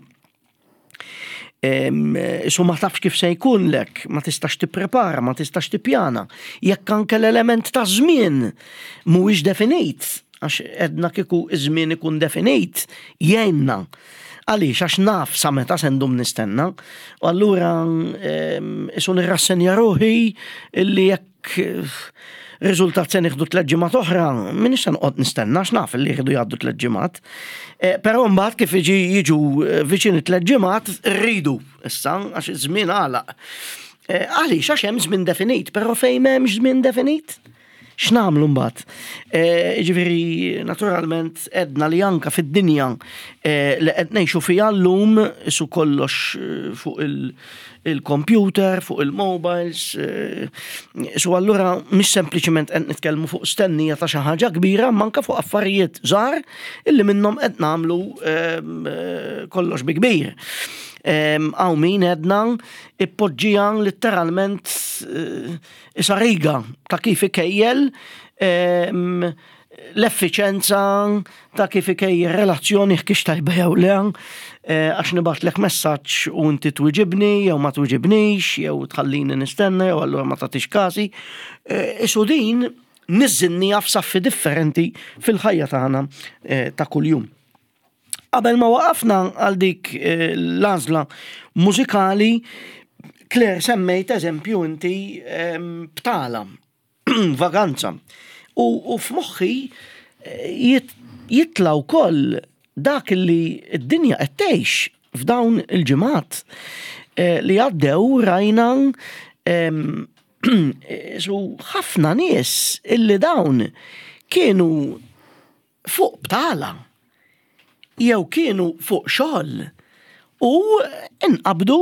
Speaker 1: Isu ma tafx kif se jkun lek, ma tistax tipprepara, ma tistax tippjana. Jekk anke l-element ta' żmien mhuwiex definit, għax edna kieku iż-żmien ikun definit, jgħinna. Għaliex, għax naf sa meta se ndum nistenna, u allura isu nirrassenja ruħi illi jekk eh, riżultat se nieħdu tliet ġimgħat oħra, minix se noqgħod nistenna għax naf li jridu jgħaddu tliet ġimgħat. Eh, Però mbagħad kif iġi jiġu eh, viċin tliet ġimgħat rridu issa, għax iż-żmien għalaq. Eh, Għaliex, għax hemm żmien definit, però fejn m'hemmx żmien definit? X'nagħmlu mbagħad? Eh, Ġifieri, naturalment, edna li anka fid-dinja eh, li qed ngħixu fiha llum isu kollox eh, fuq il- il-computer, fuq il-mobiles, eh, su allura mhix sempliċement qed nitkellmu fuq stennija ta' xi ħaġa kbira, manka fuq affarijiet żgħar illi minnhom qed nagħmlu ehm, eh, kollox bi kbir. Ehm, Hawn min edna ippoġġija letteralment eh, isa riga ta' kif ikejjel ehm, l-effiċenza ta' kif ikejjel relazzjoni kix tajba jew le, eh, għax nibgħatlek messaġġ u inti twiġibni jew ma twiġibnix, jew tħallini nistenna jew allura ma tagħtix kasi. Eh, Isu din niżżinniha f'saffi differenti fil-ħajja tagħna eh, ta' kuljum. Qabel ma waqafna għal dik eh, l-għażla mużikali, Claire, semmejt eżempju inti em, btala, vaganza. U, u f'moħħi eh, jit, jitla wkoll dak li d-dinja qed tgħix f'dawn il-ġimgħat eh, li għaddew. Rajna em, su ħafna nies illi dawn kienu fuq btala jew kienu fuq xogħol u inqabdu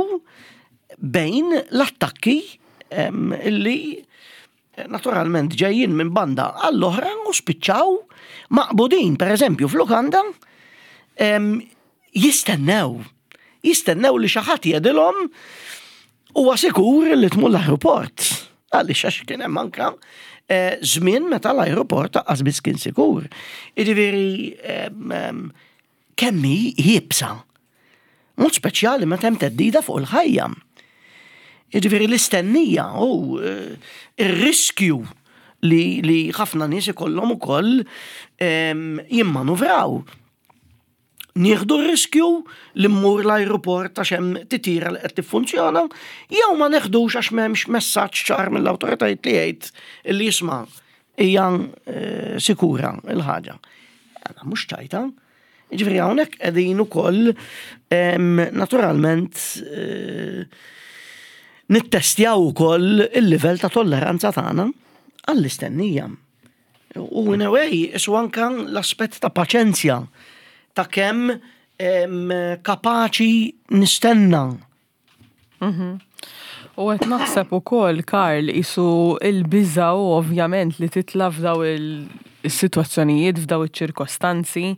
Speaker 1: bejn l-attakki em, illi naturalment ġejjin minn banda għall-oħra u spiċċaw maqbudin, per eżempju, f'lukanda em, jistennew. Jistennew li xi ħadd jgħidilhom huwa sikur li tmur l-aeroport. Għaliex, għax kien hemm anka eh, żmien meta l-aeroport lanqas biss kien sikur. Jiġifieri em, em, kemm hi iebsa. Mod speċjali meta hemm theddida fuq il-ħajja. Jiġifieri l-istennija u eh, ir-riskju li, li ħafna nies ikollhom ukoll em, jimmanuvraw. Nieħdu r-riskju li mmur l-aeroport għax hemm titira li qed tiffunzjona, jew ma neħdux għax m'hemmx messaġġ ċar mill-awtoritajiet li jgħid li jisma' hija eh, sikura il-ħaġa. Għana mhux ċajta. Ġifieri hawnhekk qegħdin ukoll em, naturalment eh, nittestjaw ukoll il-livell ta' tolleranza tagħna għall-istennija. U in a way, isu anka l-aspett ta' paċenzja, ta' kemm em, kapaċi nistenna.
Speaker 2: U qed naħseb ukoll, Karl, isu il-biża u ovvjament li titla f'daw il-sitwazzjonijiet, f'daw iċ-ċirkostanzi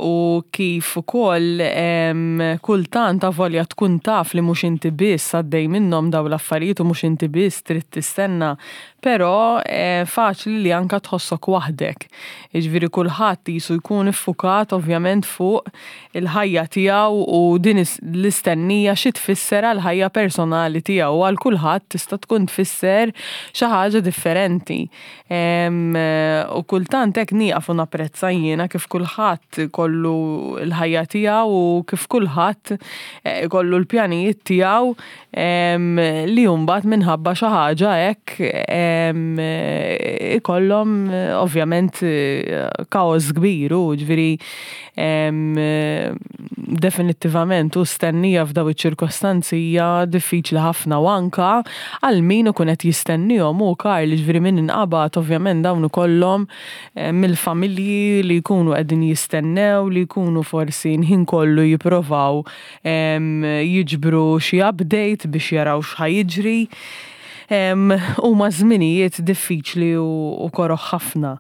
Speaker 2: u kif ukoll em, kultant avolja tkun taf li mhux inti biss għaddej minnhom daw l-affarijiet u mhux inti biss trid tistenna, Però eh, faċli li anka tħossok waħdek. Jiġifieri kulħadd jisu jkun iffukat ovvjament fuq il-ħajja tiegħu u din l-istennija xi tfisser għal ħajja personali tiegħu, għal kulħadd tista' tkun tfisser xi ħaġa differenti. U kultant hekk nieqaf u napprezza jiena kif kulħadd kollu l-ħajja tiegħu u kif kulħadd eh, kollu l-pjanijiet tiegħu li mbagħad minħabba xi ħaġa hekk ikollhom ovvjament kaos kbir u ġifieri definittivament u stennija f'daw iċ-ċirkostanzi hija diffiċli ħafna u anka għal min ikun qed jistennihom u Karl, ġifieri min inqabad, ovvjament dawn ikollhom mill-familji li jkunu qegħdin jistennew, li jkunu forsi l-ħin kollu jipprovaw jiġbru xi update biex jaraw x'ħa jiġri. Huma żminijiet diffiċli u koroħ ħafna.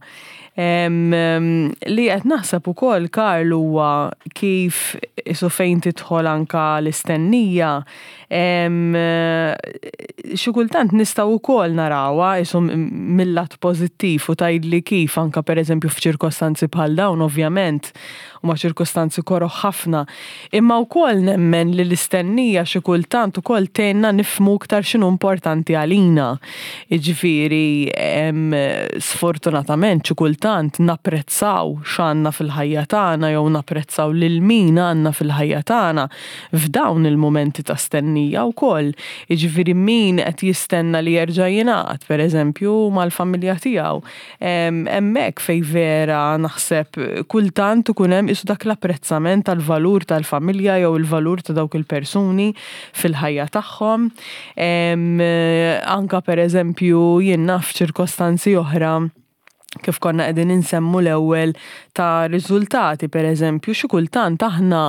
Speaker 2: Li qed naħseb ukoll, Karl, huwa kif isu fejn tidħol anka l-istennija, xi kultant nistgħu wkoll narawha isu mill-lat pożittiv u tgħidli kif anka pereżempju f'ċirkostanzi bħal dawn, ovvjament huma ċirkostanzi koroħ ħafna. Imma wkoll nemmen li l-istennija xi kultant ukoll tgħinna nifhmu iktar x'inhu importanti għalina. Jiġifieri sfortunatament xi kultant napprezzaw x'għandna fil-ħajja tagħna jew napprezzaw lil min għandna fil-ħajja tagħna f'dawn il-mumenti ta' stennija wkoll. Jiġifieri min qed jistenna li jerġa' jingħaqad pereżempju mal-familja tiegħu. Hemmhekk fejn vera naħseb kultant ikun hemm isu dak l-apprezzament tal-valur tal-familja jew il-valur ta' dawk il-persuni fil-ħajja tagħhom. Anka pereżempju jien naf ċirkostanzi oħra, kif konna qegħdin insemmu l-ewwel ta' riżultati pereżempju, xi kultant aħna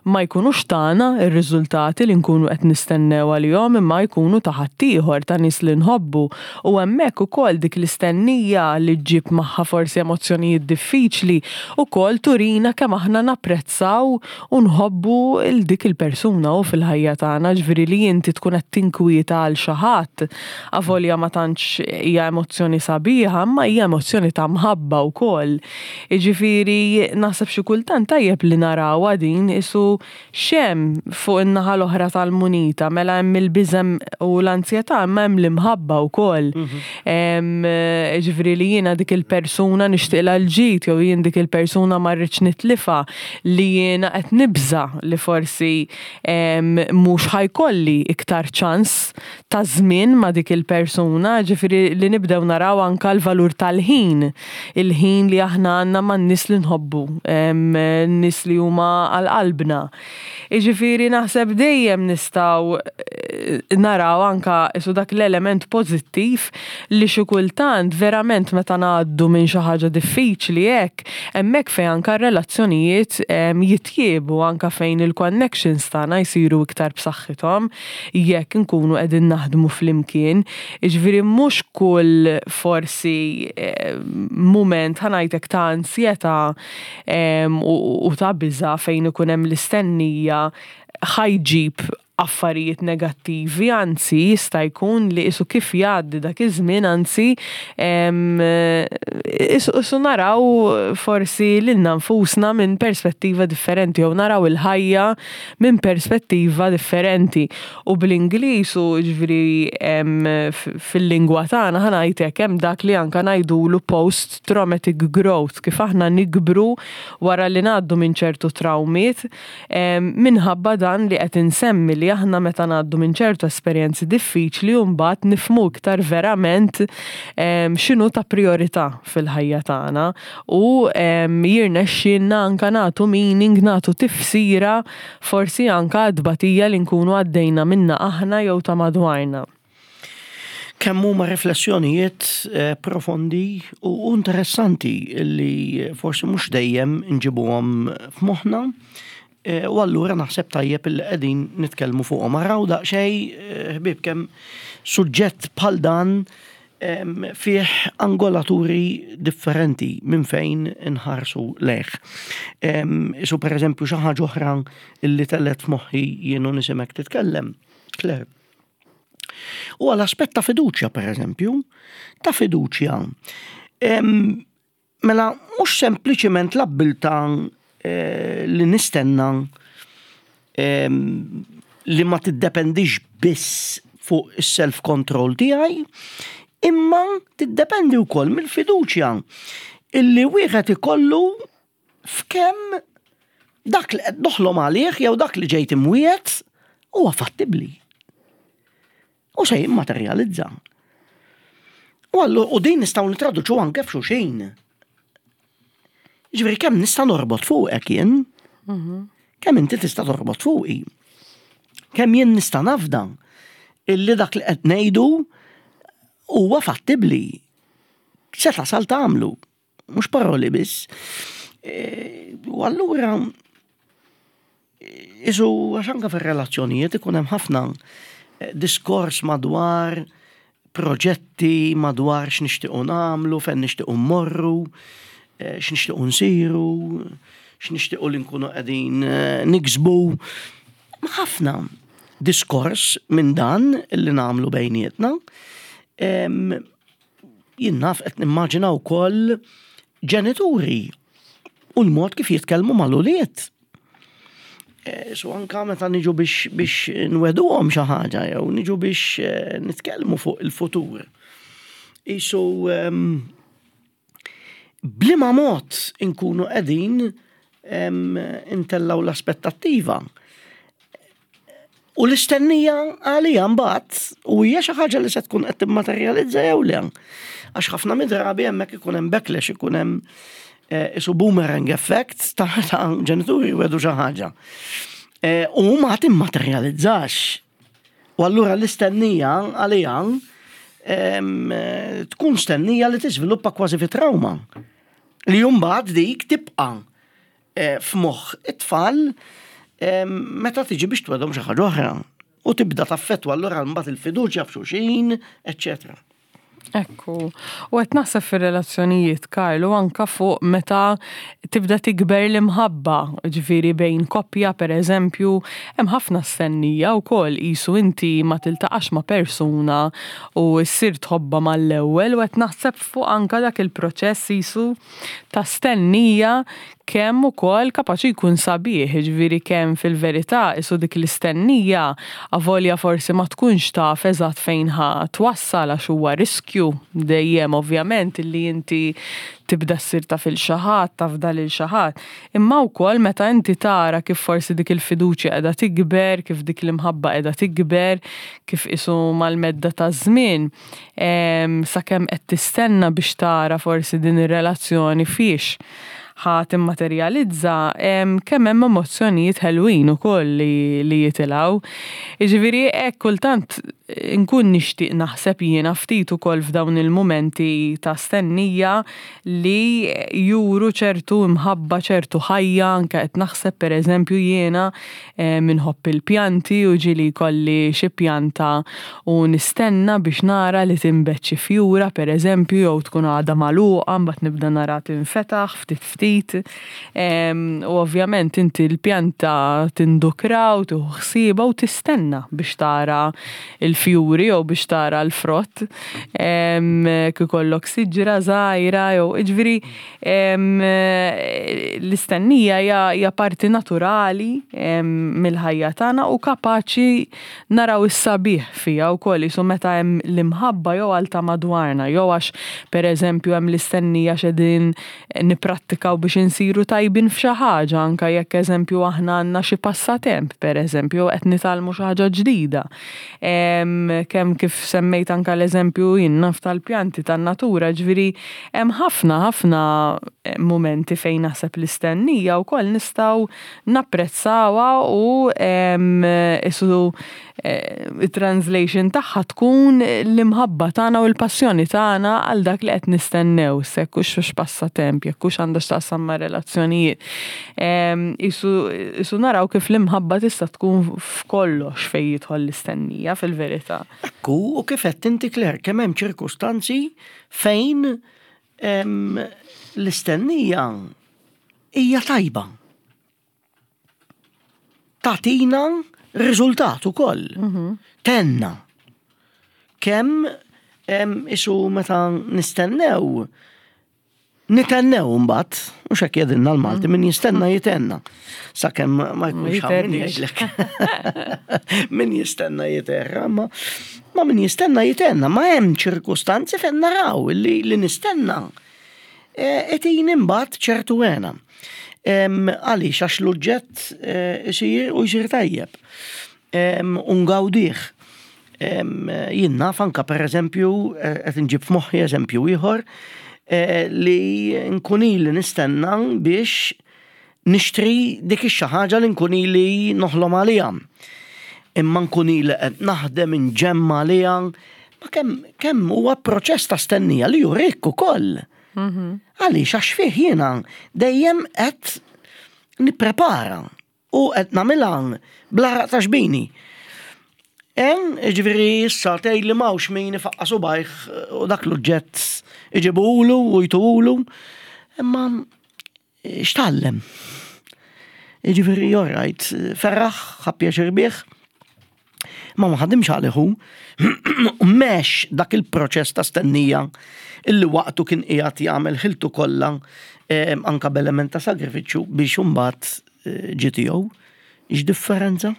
Speaker 2: ma jkunux tagħna r-riżultati li nkunu qed nistennew għalihom, imma jkunu ta' ħaddieħor, ta' nies li nħobbu. U hemmhekk ukoll dik l-istennija li ġġib magħha forsi emozzjonijiet diffiċli ukoll turina kemm aħna napprezzaw u nħobbu il dik il-persuna u fil-ħajja tagħna, ġifieri li inti tkun qed tinkwieta għal xi ħadd, avolja ma tantx hija emozzjoni sabiħa, imma hija emozzjoni ta' mħabba wkoll. Jiġifieri naħseb xi kultant tajjeb li narawha din isu x'hemm fuq in-naħa l-oħra tal-munita, mela hemm il-biżem u l-ansjetà, imma hemm l-imħabba wkoll. Jiġifieri li jiena dik il-persuna nixtieqlha l-ġid jew jien dik il-persuna ma rridx nitlifha, li jiena qed nibża li forsi mhux ħa jkolli iktar ċans ta' żmien ma' dik il-persuna, ġifieri li nibdew naraw anka l-valur tal-ħin, il-ħin li aħna għandna man-nies li nħobbu, n-nies li huma għal qalbna. Jiġifieri naħseb dejjem nistgħu naraw anka isu dak l-element pożittiv li xi kultant verament meta ngħaddu minn xi ħaġa diffiċli hekk, hemmhekk fejn anka r-relazzjonijiet jitjiebu, anka fejn il-connections tagħna jsiru iktar b'saħħithom jekk nkunu qegħdin naħdmu flimkien. Jiġifieri mhux kull forsi mument, ħa ngħidlek, ta' ansjetà u ta' biża' fejn ikun hemm l-istennija ħa jġib affarijiet negattivi, anzi jista' jkun li isu kif jgħaddi dak iż-żmien, anzi isu naraw forsi lilna nfusna minn perspettiva differenti jew naraw il-ħajja minn perspettiva differenti. U bl-Ingliż u ġifieri fil-lingwa tagħna, ħa ngħidlek, hemm dak li anka ngħidulu post traumatic growth, kif aħna nikbru wara li ngħaddu minn ċertu trawmiet, minħabba dan li qed insemmi, li aħna meta ngħaddu minn ċertu esperjenzi diffiċli u mbagħad nifhmu iktar verament x'inhu ta' priorità fil-ħajja tagħna u jirnexxielna anka nagħtu meaning, nagħtu tifsira forsi anka tbatija li nkunu għaddejna minna aħna jew ta' madwarna.
Speaker 1: Kemm huma riflessjonijiet eh, profondi u interessanti li forsi mhux dejjem nġibuhom f'moħħna. Eh, u allura naħseb tajjeb il qegħdin nitkellmu fuqhom. Araw daqsxejn, eh, ħbieb, kemm suġġett bħal dan fih angolaturi differenti minn fejn inħarsu lejh. Isu per eżempju xi ħaġa oħra illi telgħet f'moħħi jienu nisimek titkellem, Claire. U għal aspett ta' fiduċja, per eżempju, ta' fiduċja. Mela, mhux sempliċiment l-abbiltà eh, li nistenna li ma tiddependix biss fuq is-self-control tiegħi, imma tiddependi wkoll mill-fiduċja illi wieħed ikollu f'kemm dak li qed noħlom għalih jew dak li ġejt imwiegħed huwa fattibbli. U se jimmaterjalizza. U għallu, u din nistgħu nitraduċu anke f'xulxin. Ġifieri kemm nista' norbot fuqek jien, kemm inti tista' torbot fuqi. Kemm jien nista' nafda illi dak li qed ngħidu huwa fattibbli. Se tasal tagħmlu, mhux paroli biss. E, u allura isu għax anke fir-relazzjonijiet ikun hemm ħafna eh, diskors madwar proġetti, madwar x'nixtiequ nagħmlu, fejn nixtiequ mmorru, eh, x'nixtiequ nsiru, x'nixtiequ li nkunu qegħdin eh, niksbu. Ħafna diskors minn dan li nagħmlu bejnietna. Jien naf qed nimmaġina wkoll ġenituri u l-mod kif jitkellmu mal-ulied. Eh, so anka meta niġu biex biex nweduhom xi ħaġa jew niġu biex eh, nitkellmu fuq il-futur. Isu bliema mod inkunu qegħdin intellaw l-aspettattiva. U l-istennija għalija mbagħad u hija xi ħaġa li se tkun qed timmaterjalizza jew le. Għax ħafna mid-drabi hemmhekk ikun hemm backlash, ikun hemm eh, isu boomerang effect ta' ta' ġenituri jwedu xi ħaġa. Eh, u ma timmaterjalizzax. U allura l-istennija għalija tkun stennija li tiżviluppa kważi fi trauma. Li mbagħad dik tibqa' eh, f'moħħ it-tfal meta tiġi biex twegħedhom xi ħaġa oħra. U tibda taffettwa allura mbagħad il-fiduċja f'xulxin, eċċetera.
Speaker 2: Ekku, u qed naħseb fir-relazzjonijiet, Karlu, anka fuq meta tibda tikber l-imħabba, ġifieri bejn koppja per eżempju, hemm ħafna stennija wkoll qisu inti ma tiltaqax ma' persuna u ssir tħobba mal-ewwel u qed naħseb fuq anka dak il-proċess qisu ta' stennija kemm ukoll kapaċi jkun sabiħ, ġifieri kemm fil-verità isu dik l-istennija avolja forsi ma tkunx taf eżatt fejn ħa twassal għax huwa riskju dejjem ovvjament illi inti tibda ssir taf il xi ħadd, tafda lil xi ħadd. Imma wkoll meta inti tara kif forsi dik il-fiduċja qiegħda tikber, kif dik l-imħabba qiegħda tikber, kif isu mal-medda ta' żmien, sakemm qed tistenna biex tara forsi din ir-relazzjoni fiex ħa timmaterjalizza, kemm hemm emozzjonijiet ħelwin ukoll li, li jitilgħu. Jiġifieri hekk kultant nkun nixtieq naħseb jiena ftit ukoll f'dawn il-mumenti ta' stennija li juru ċertu imħabba, ċertu ħajja, anke qed naħseb pereżempju jiena minħobb il-pjanti u ġieli jkolli xi pjanta u nistenna biex nara li tinbet xi fjura pereżempju jew tkun għadha magħluqa mbagħad nibda nara tinfetaħ ftit ftit. U ovvjament inti l-pjanta tindukra u tieħu ħsiebha u tistenna biex tara il-fjuri jew biex tara l-frott. Kif ikollok siġra żgħira jew jiġifieri l-istennija hija parti naturali mill-ħajja tagħna u kapaċi naraw is-sabiħ fiha wkoll isu meta hemm l-imħabba jew għal ta' madwarna jew għax pereżempju hemm l-istennija x'qegħdin nipprattikaw biex insiru tajbin f'xi ħaġa anke jekk eżempju aħna għandna xi passatemp pereżempju qed nitgħallmu xi ħaġa ġdida. Kemm kif semmejt anke l-eżempju jien naf tal-pjanti tan-natura, ġifieri hemm ħafna ħafna mumenti fejn naħseb l-istennija wkoll nistgħu napprezzawha u isu it-translation tagħha tkun l-imħabba tagħna u l-passjoni tagħna għal dak li qed nistennew, jekk hux passatemp, jekk hux għandha x'taqsam ma' relazzjonijiet. Isu, isu naraw kif l-imħabba tista' tkun f'kollox fejn jidħol l-istennija fil-verità.
Speaker 1: Ekku, u kif qed inti Claire, kemm hemm ċirkustanzi fejn l-istennija hija tajba. Tagħtina riżultat ukoll. Tenna. Kemm isu meta nistennew, nitennew mbagħad, mhux hekk jgħidilna l-Malti, min jistenna jitenna. Sakemm ma jkunx hawn min jgħidlek. Min jistenna jiterra, ma ma min jistenna jitenna, ma hemm ċirkustanzi fejn naraw li, li nistenna. Qed imbagħad ċertu hena. Għaliex? Għax l-oġġett isir u jsir tajjeb. U ngawdih. Jien naf anka, per eżempju, qed inġib f'moħħi eżempju ieħor, li nkun ili nistenna biex nixtri dik ix-xi ħaġa li nkun ili noħlom għaliha. Imma nkun ili qed naħdem inġemma għaliha. Ma kemm kemm huwa proċess ta' stennija li jurik ukoll. Għaliex? Għax fih jiena dejjem qed nipprepara u qed nagħmilha bl-għaraq ta' xbini. En, ġifieri issa tgħid li m'hawnx min ifaqqa subajh u dak l-oġġett iġibulu u jtuhulu, imma x'tgħallem? Ġifieri, all right, ferraħ, ħa pjaċir bih, ma ma ħadimx għalihu, mex dak il-proċess ta' stennija illi waqtu kien qiegħed jagħmel ħiltu kollha, anka b'element ta' sagrifiċċju, biex imbagħad ġie tiegħu. X'differenza?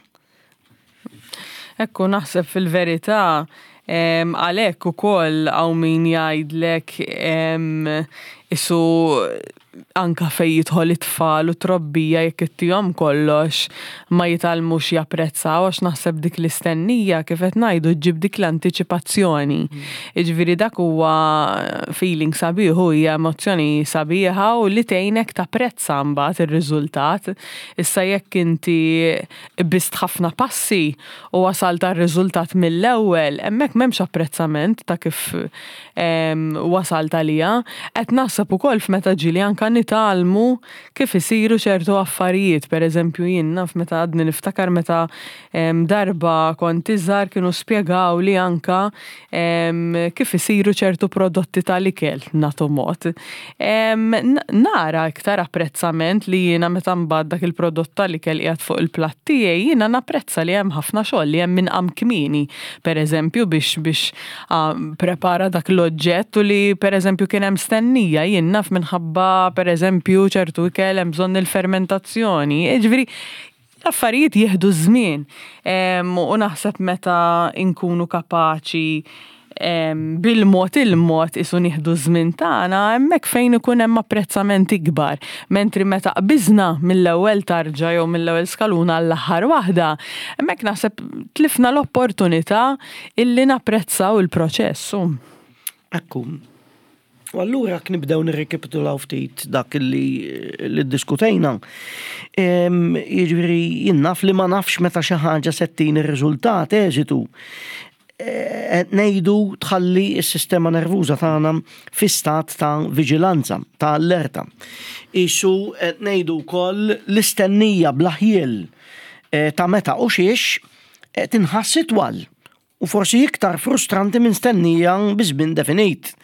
Speaker 2: Ekku, naħseb fil-verità għalhekk ukoll hawn min jgħidlek isu anka fej jidħol it-tfal u trobbija, jekk ittihom kollox ma jitgħallmux japprezzaw, għax naħseb dik l-istennija, kif qed ngħidu, ġġib dik l-antiċipazzjoni. Jiġifieri dak huwa feeling sabiħ u hija emozzjoni sabiħa u li tgħinek tapprezza mbagħad ir-riżultat. Issa jekk inti qbist ħafna passi u wasalt għar-riżultat mill-ewwel, hemmhekk m'hemmx apprezzament ta' kif wasalt għalija. Qed naħseb ukoll f'meta ġieli anka nitgħallmu kif isiru ċertu affarijiet. Per eżempju, jien naf meta għadni niftakar meta darba kont iżgħar, kienu spjegaw li anka kif isiru ċertu prodotti tal-ikel, nagħtu mod. Nara iktar apprezzament li jiena meta mbagħad dak il-prodott tal-ikel qiegħed fuq il-platt tiegħi, jiena napprezza li hemm ħafna xogħol, li hemm min qam kmieni, per eżempju, biex biex prepara dak l-oġġett u li per eżempju kien hemm stennija, jien naf minħabba per eżempju ċertu ikel hemm bżonn il-fermentazzjoni. Jiġifieri l-affarijiet jieħdu żmien. U naħseb meta nkunu kapaċi bil-mod il-mod isu nieħdu żmien tagħna, hemmhekk fejn ikun hemm apprezzament ikbar. Mentri meta qbiżna mill-ewwel tarġa jew mill-ewwel skaluna għall-aħħar waħda, hemmhekk naħseb tlifna l-opportunità illi napprezzaw il-proċess.
Speaker 1: Ekku. U allura jekk nibdew nirrikapitulaw ftit dak li li ddiskutejna. Jiġifieri jien naf li ma nafx meta xi ħaġa se ttini ir-riżultat eżitu. Qed ngħidu tħalli s-sistema nervuża tagħna fi stat ta' viġilanza, ta' allerta. Isu qed ngħidu wkoll l-istennija bla ħjiel ta' meta u xiex tinħass itwal u forsi iktar frustranti minn stennija bi żmien definit.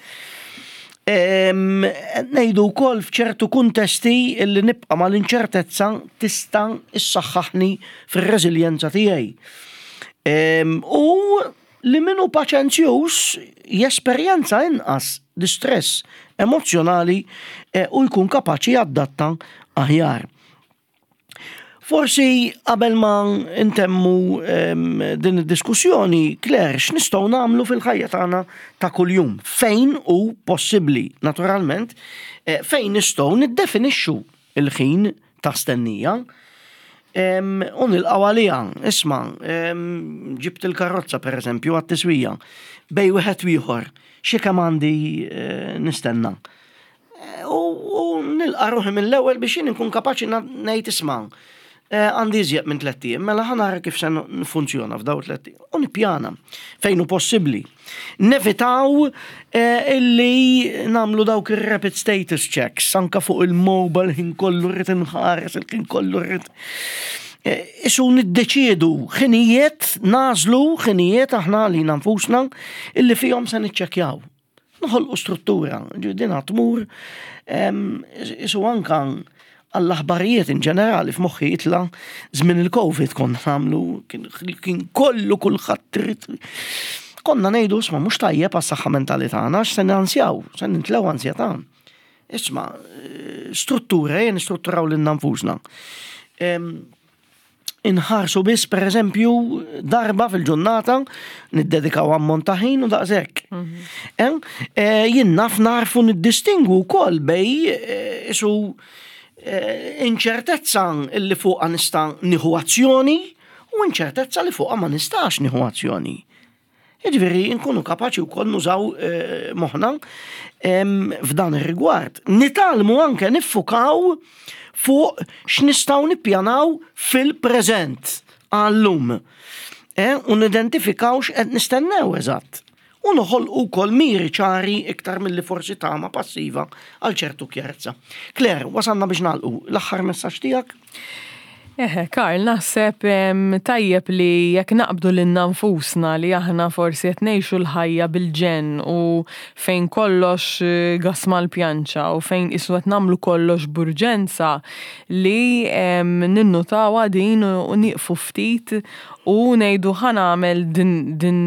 Speaker 1: Ngħidu wkoll f'ċertu kuntesti li nibqa' mal-inċertezza tista' issaħħaħni fir-reżiljenza tiegħi. U li minnu paċenzjuż jesperjenza inqas distress emozjonali u jkun kapaċi jadatta aħjar. Forsi qabel ma intemmu din id-diskussjoni, Claire, x'nistgħu nagħmlu fil-ħajja tagħna ta' kuljum? Fejn hu possibbli, naturalment, fejn nistgħu niddefinixxu il-ħin ta' stennija u nilqgħu għaliha. Isma', ġibt il-karozza per eżempju għat-tiswija, bejn wieħed u ieħor, xi kemm għandi nistenna? U nilqa' ruħi mill-ewwel biex jien nkun kapaċi ngħid, isma', għandi iżjed minn tlett ijiem, mela ħa nara kif se nfunzjona f'daw tlett ijiem. U nippjana fejn hu possibbli. Nevitaw illi nagħmlu dawk ir-rapid status checks, anka fuq il-mobile, ħin kollu rrid inħares, il-ħin kollu rrid. Isu niddeċiedu ħinijiet, nagħżlu ħinijiet aħna li nfusna illi fihom se niċċekkjaw. Noħolqu struttura, din tmur isu anka għall-aħbarijiet in ġenerali. F'moħħi jitla żmien il-Covid kont nagħmlu, kien kollu kulħadd trid. Konna ngħidu, isma', mhux tajjeb għas-saħħa mentali tagħna, se nansjaw, se nintlew ansjetà. Isma', eh, struttura, ejja nistrutturaw lilna nfusna. Inħarsu biss, per eżempju, darba fil-ġurnata, niddedikaw ammont ta' ħin u daqshekk. Mhm. Eh, jien naf narfu niddistingu wkoll bejn eh, isu inċertezza li fuqha nista' nieħu azzjoni u inċertezza li fuqha ma nistax nieħu azzjoni. Jiġifieri nkunu kapaċi wkoll nużaw eh, moħħna f'dan ir-rigward. Nitgħallmu anke niffukaw fuq x'nistgħu nippjanaw fil-preżent għallum. Eh, u nidentifikaw x'qed nistennew eżatt. U noħolqu wkoll miri ċari iktar milli forsi tama passiva għal ċertu kjarezza. Claire, wasalna biex nagħlqu. L-aħħar messaġġ tiegħek?
Speaker 2: Eħe, Karl, naħseb tajjeb li jekk naqbdu lilna nfusna li aħna forsi qed ngħixu l-ħajja bil-ġenn u fejn kollox eh, gas mal-pjanċa u fejn isu qed nagħmlu kollox b'urġenza, li ninnutaw din u nieqfu ftit u ngħidu, "Ħa nagħmel din, din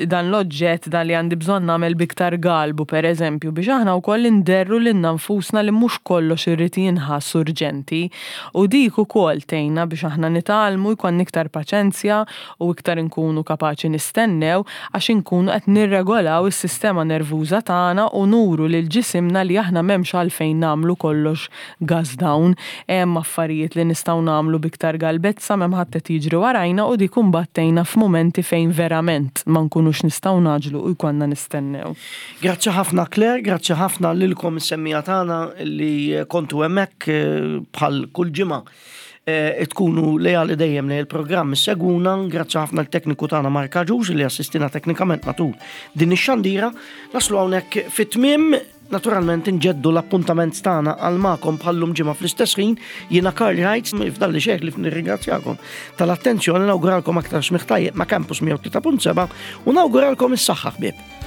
Speaker 2: dan l-oġġett, dan li għandi bżonn nagħmel b'iktar galbu", per eżempju, biex aħna wkoll inderru lilna nfusna li mhux kollox irid jinħass urġenti, u dik ukoll tgħinna biex aħna nitgħallmu jkun iktar paċenzja u iktar inkunu kapaċi nistennew, għax inkunu qed nirregolaw is-sistema nervuża tagħna u nuru lil ġisimna li aħna m'hemmx għalfejn nagħmlu kollox gas down, hemm affarijiet li nistgħu nagħmlu b'iktar galbezza, m'hemm ħadd qed jiġri warajna, u dik imbagħad tgħinna f'mumenti fejn verament ma nkunux nistgħu ngħaġġlu u jkollna nistennew.
Speaker 1: Grazzi ħafna, Claire, grazzi ħafna lilkom is-semmiegħa tagħna li kontu hemmhekk eh, bħal kull ġimgħa eh, tkunu leali dejjem li il-programm seguna. Grazzi ħafna l-tekniku tagħna Mark Agius li assistina teknikament matul din ix-xandira. Naslu hawnhekk fit-tmiem. Naturalment nġeddu l-appuntament tagħna għal magħkom bħallum ġimgħa fl-istess ħin. Jiena Karl Reitz, fdalli xejn ħlief nirringrazzjakom tal-attenzjoni, nawguralkom aktar smigħ tajjeb ma' Campus mija u tlieta punt sebgħa u nawguralkom is-saħħa, ħbieb.